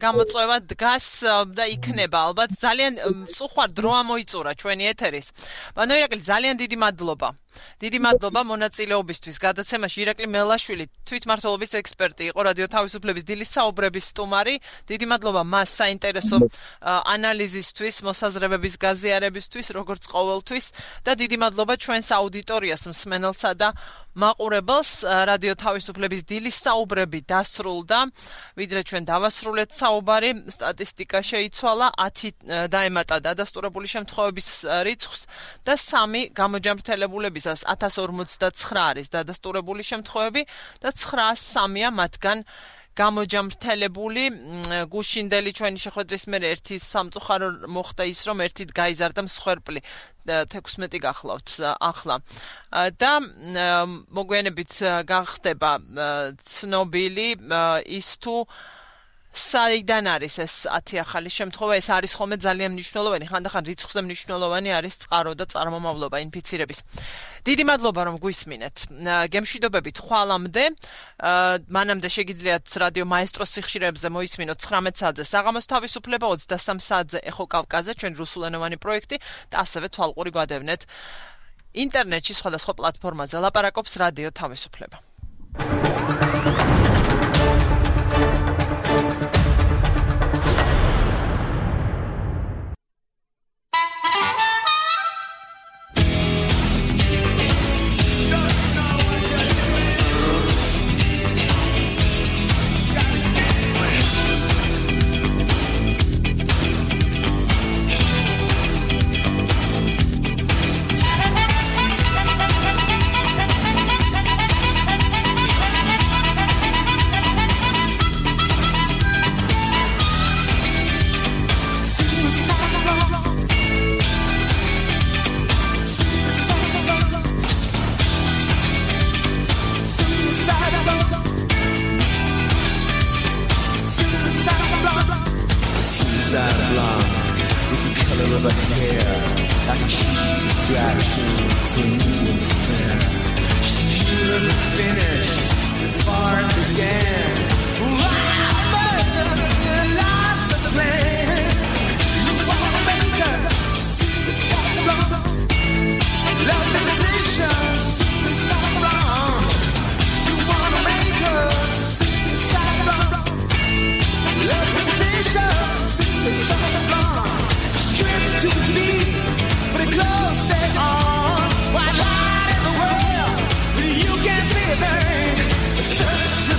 გამოწვევა დგას და იქნება ალბათ. ძალიან სწუხარ დრო ამოიწურა ჩვენი ეთერის. ბანო ირაკლი, ძალიან დიდი მადლობა. დიდი მადლობა მონაწილეობისთვის. გადაცემაში ირაკლი მელაშვილი, თვითმმართველობის ექსპერტი, იყო რადიო თავისუფლების დილის საუბრების სტუმარი. დიდი მადლობა მას საინტერესო ანალიზისთვის, მოსაზრებების გაზიარებისთვის, როგორც ყოველთვის და დიდი მადლობა ჩვენს აუდიტორიას, მსმენელსა და მაყურებელს. რადიო თავისუფლების დილის საუბრები დასრულდა, ვიდრე ჩვენ დავასრულეთ საუბარი, სტატისტიკა შეიცვალა, ათი დაემატა დადასტურებული შემთხვევების რიცხვს და სამი გამოჯამრთელებულების ათას ორმოცდაცხრა არის დადასტურებული შემთხვევები და ცხრაას სამია მათგან გამოჯამრთელებული. გუშინდელი ჩვენი შეხვედრის მერე ერთი სამწუხარო მოხდა ის, რომ ერთით გაიზარდა მსხვერპლი, თექვსმეტი გახლავთ ახლა და მოგვიანებით გახდება ცნობილი ის თუ საიდან არის ეს ათი ახალი შემთხვევა. ეს არის ხოლმე ძალიან მნიშვნელოვანი, ხანდახან რიცხვზე მნიშვნელოვანი არის წყარო და წარმომავლობა ინფიცირების. დიდი მადლობა რომ გვისმინეთ. გემშვიდობებით ხვალამდე. მანამდე შეგიძლიათ რადიო მაესტროს სიხშირეებზე მოისმინოთ ცხრამეტ საათზე საღამოს თავისუფლება, ოცდასამ საათზე ეხო კავკაზე, ჩვენ რუსულენოვანი პროექტი და ასევე თვალყური გვადევნეთ ინტერნეტში სხვადასხვა პლატფორმაზე. ლაპარაკობს რადიო თავისუფლება.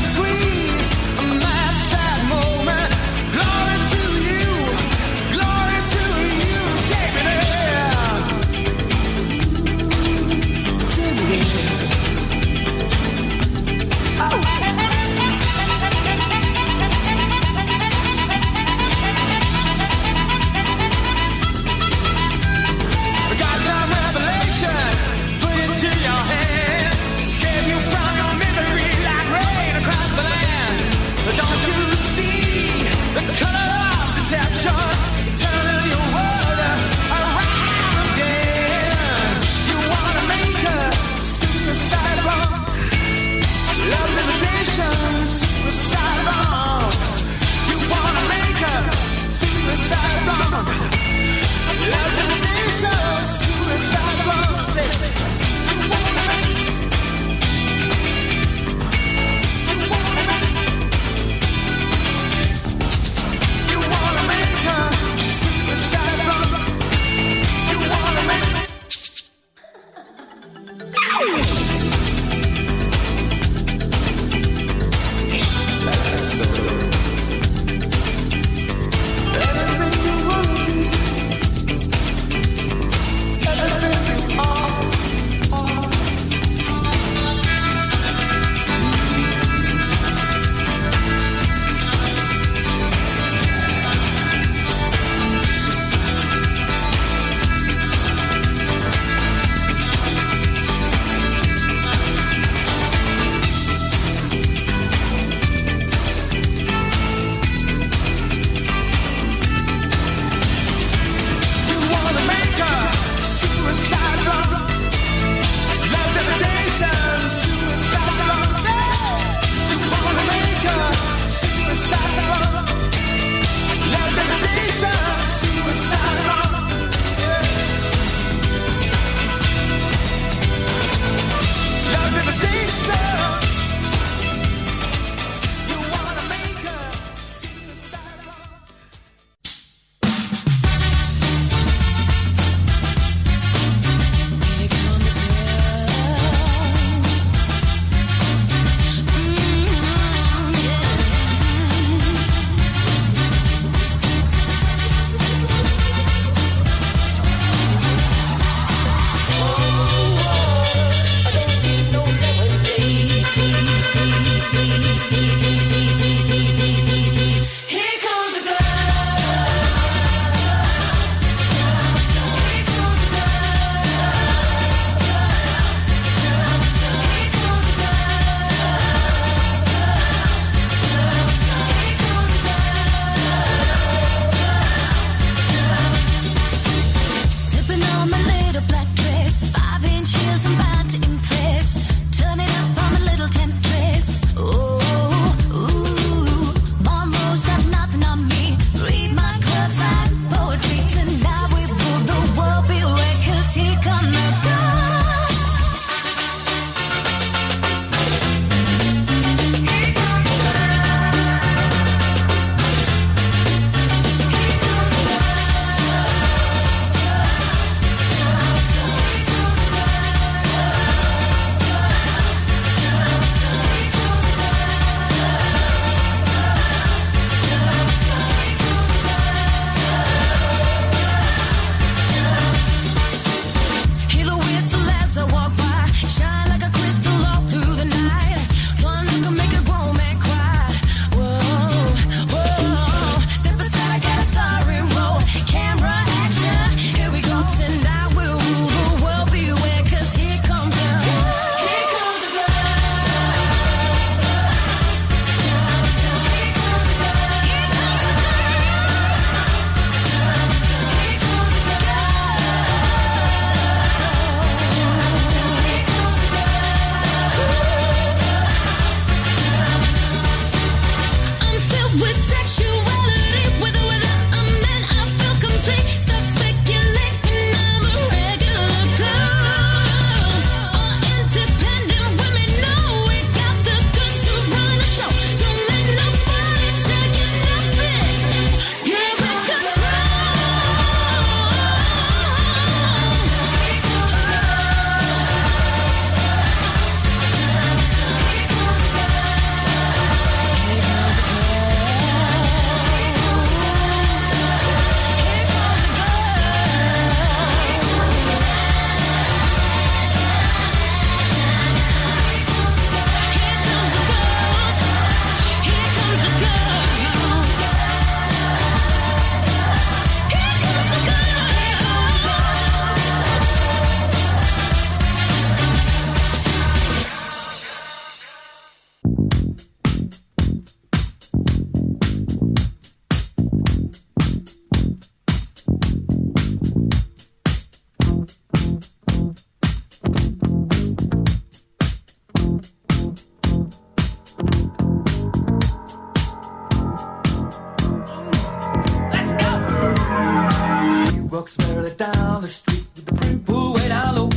Squeeze walks merrily down the street with the people way down low.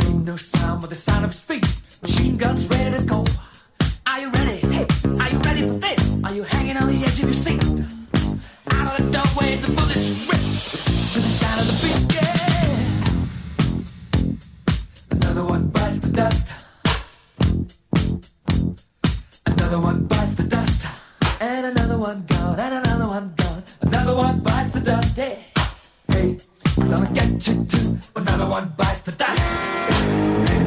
Ain't no sound but the sound of his feet. Machine guns ready to go. Are you ready? Hey, are you ready for this? Are you hanging on the edge of your seat? Out of the doorway, the bullets rip to the sound of the beat. Yeah. Another one bites the dust. Another one bites the dust. And another one gone. And another one gone. Another one bites the dust. Hey, hey, I'm gonna get you too. Another one bites the dust.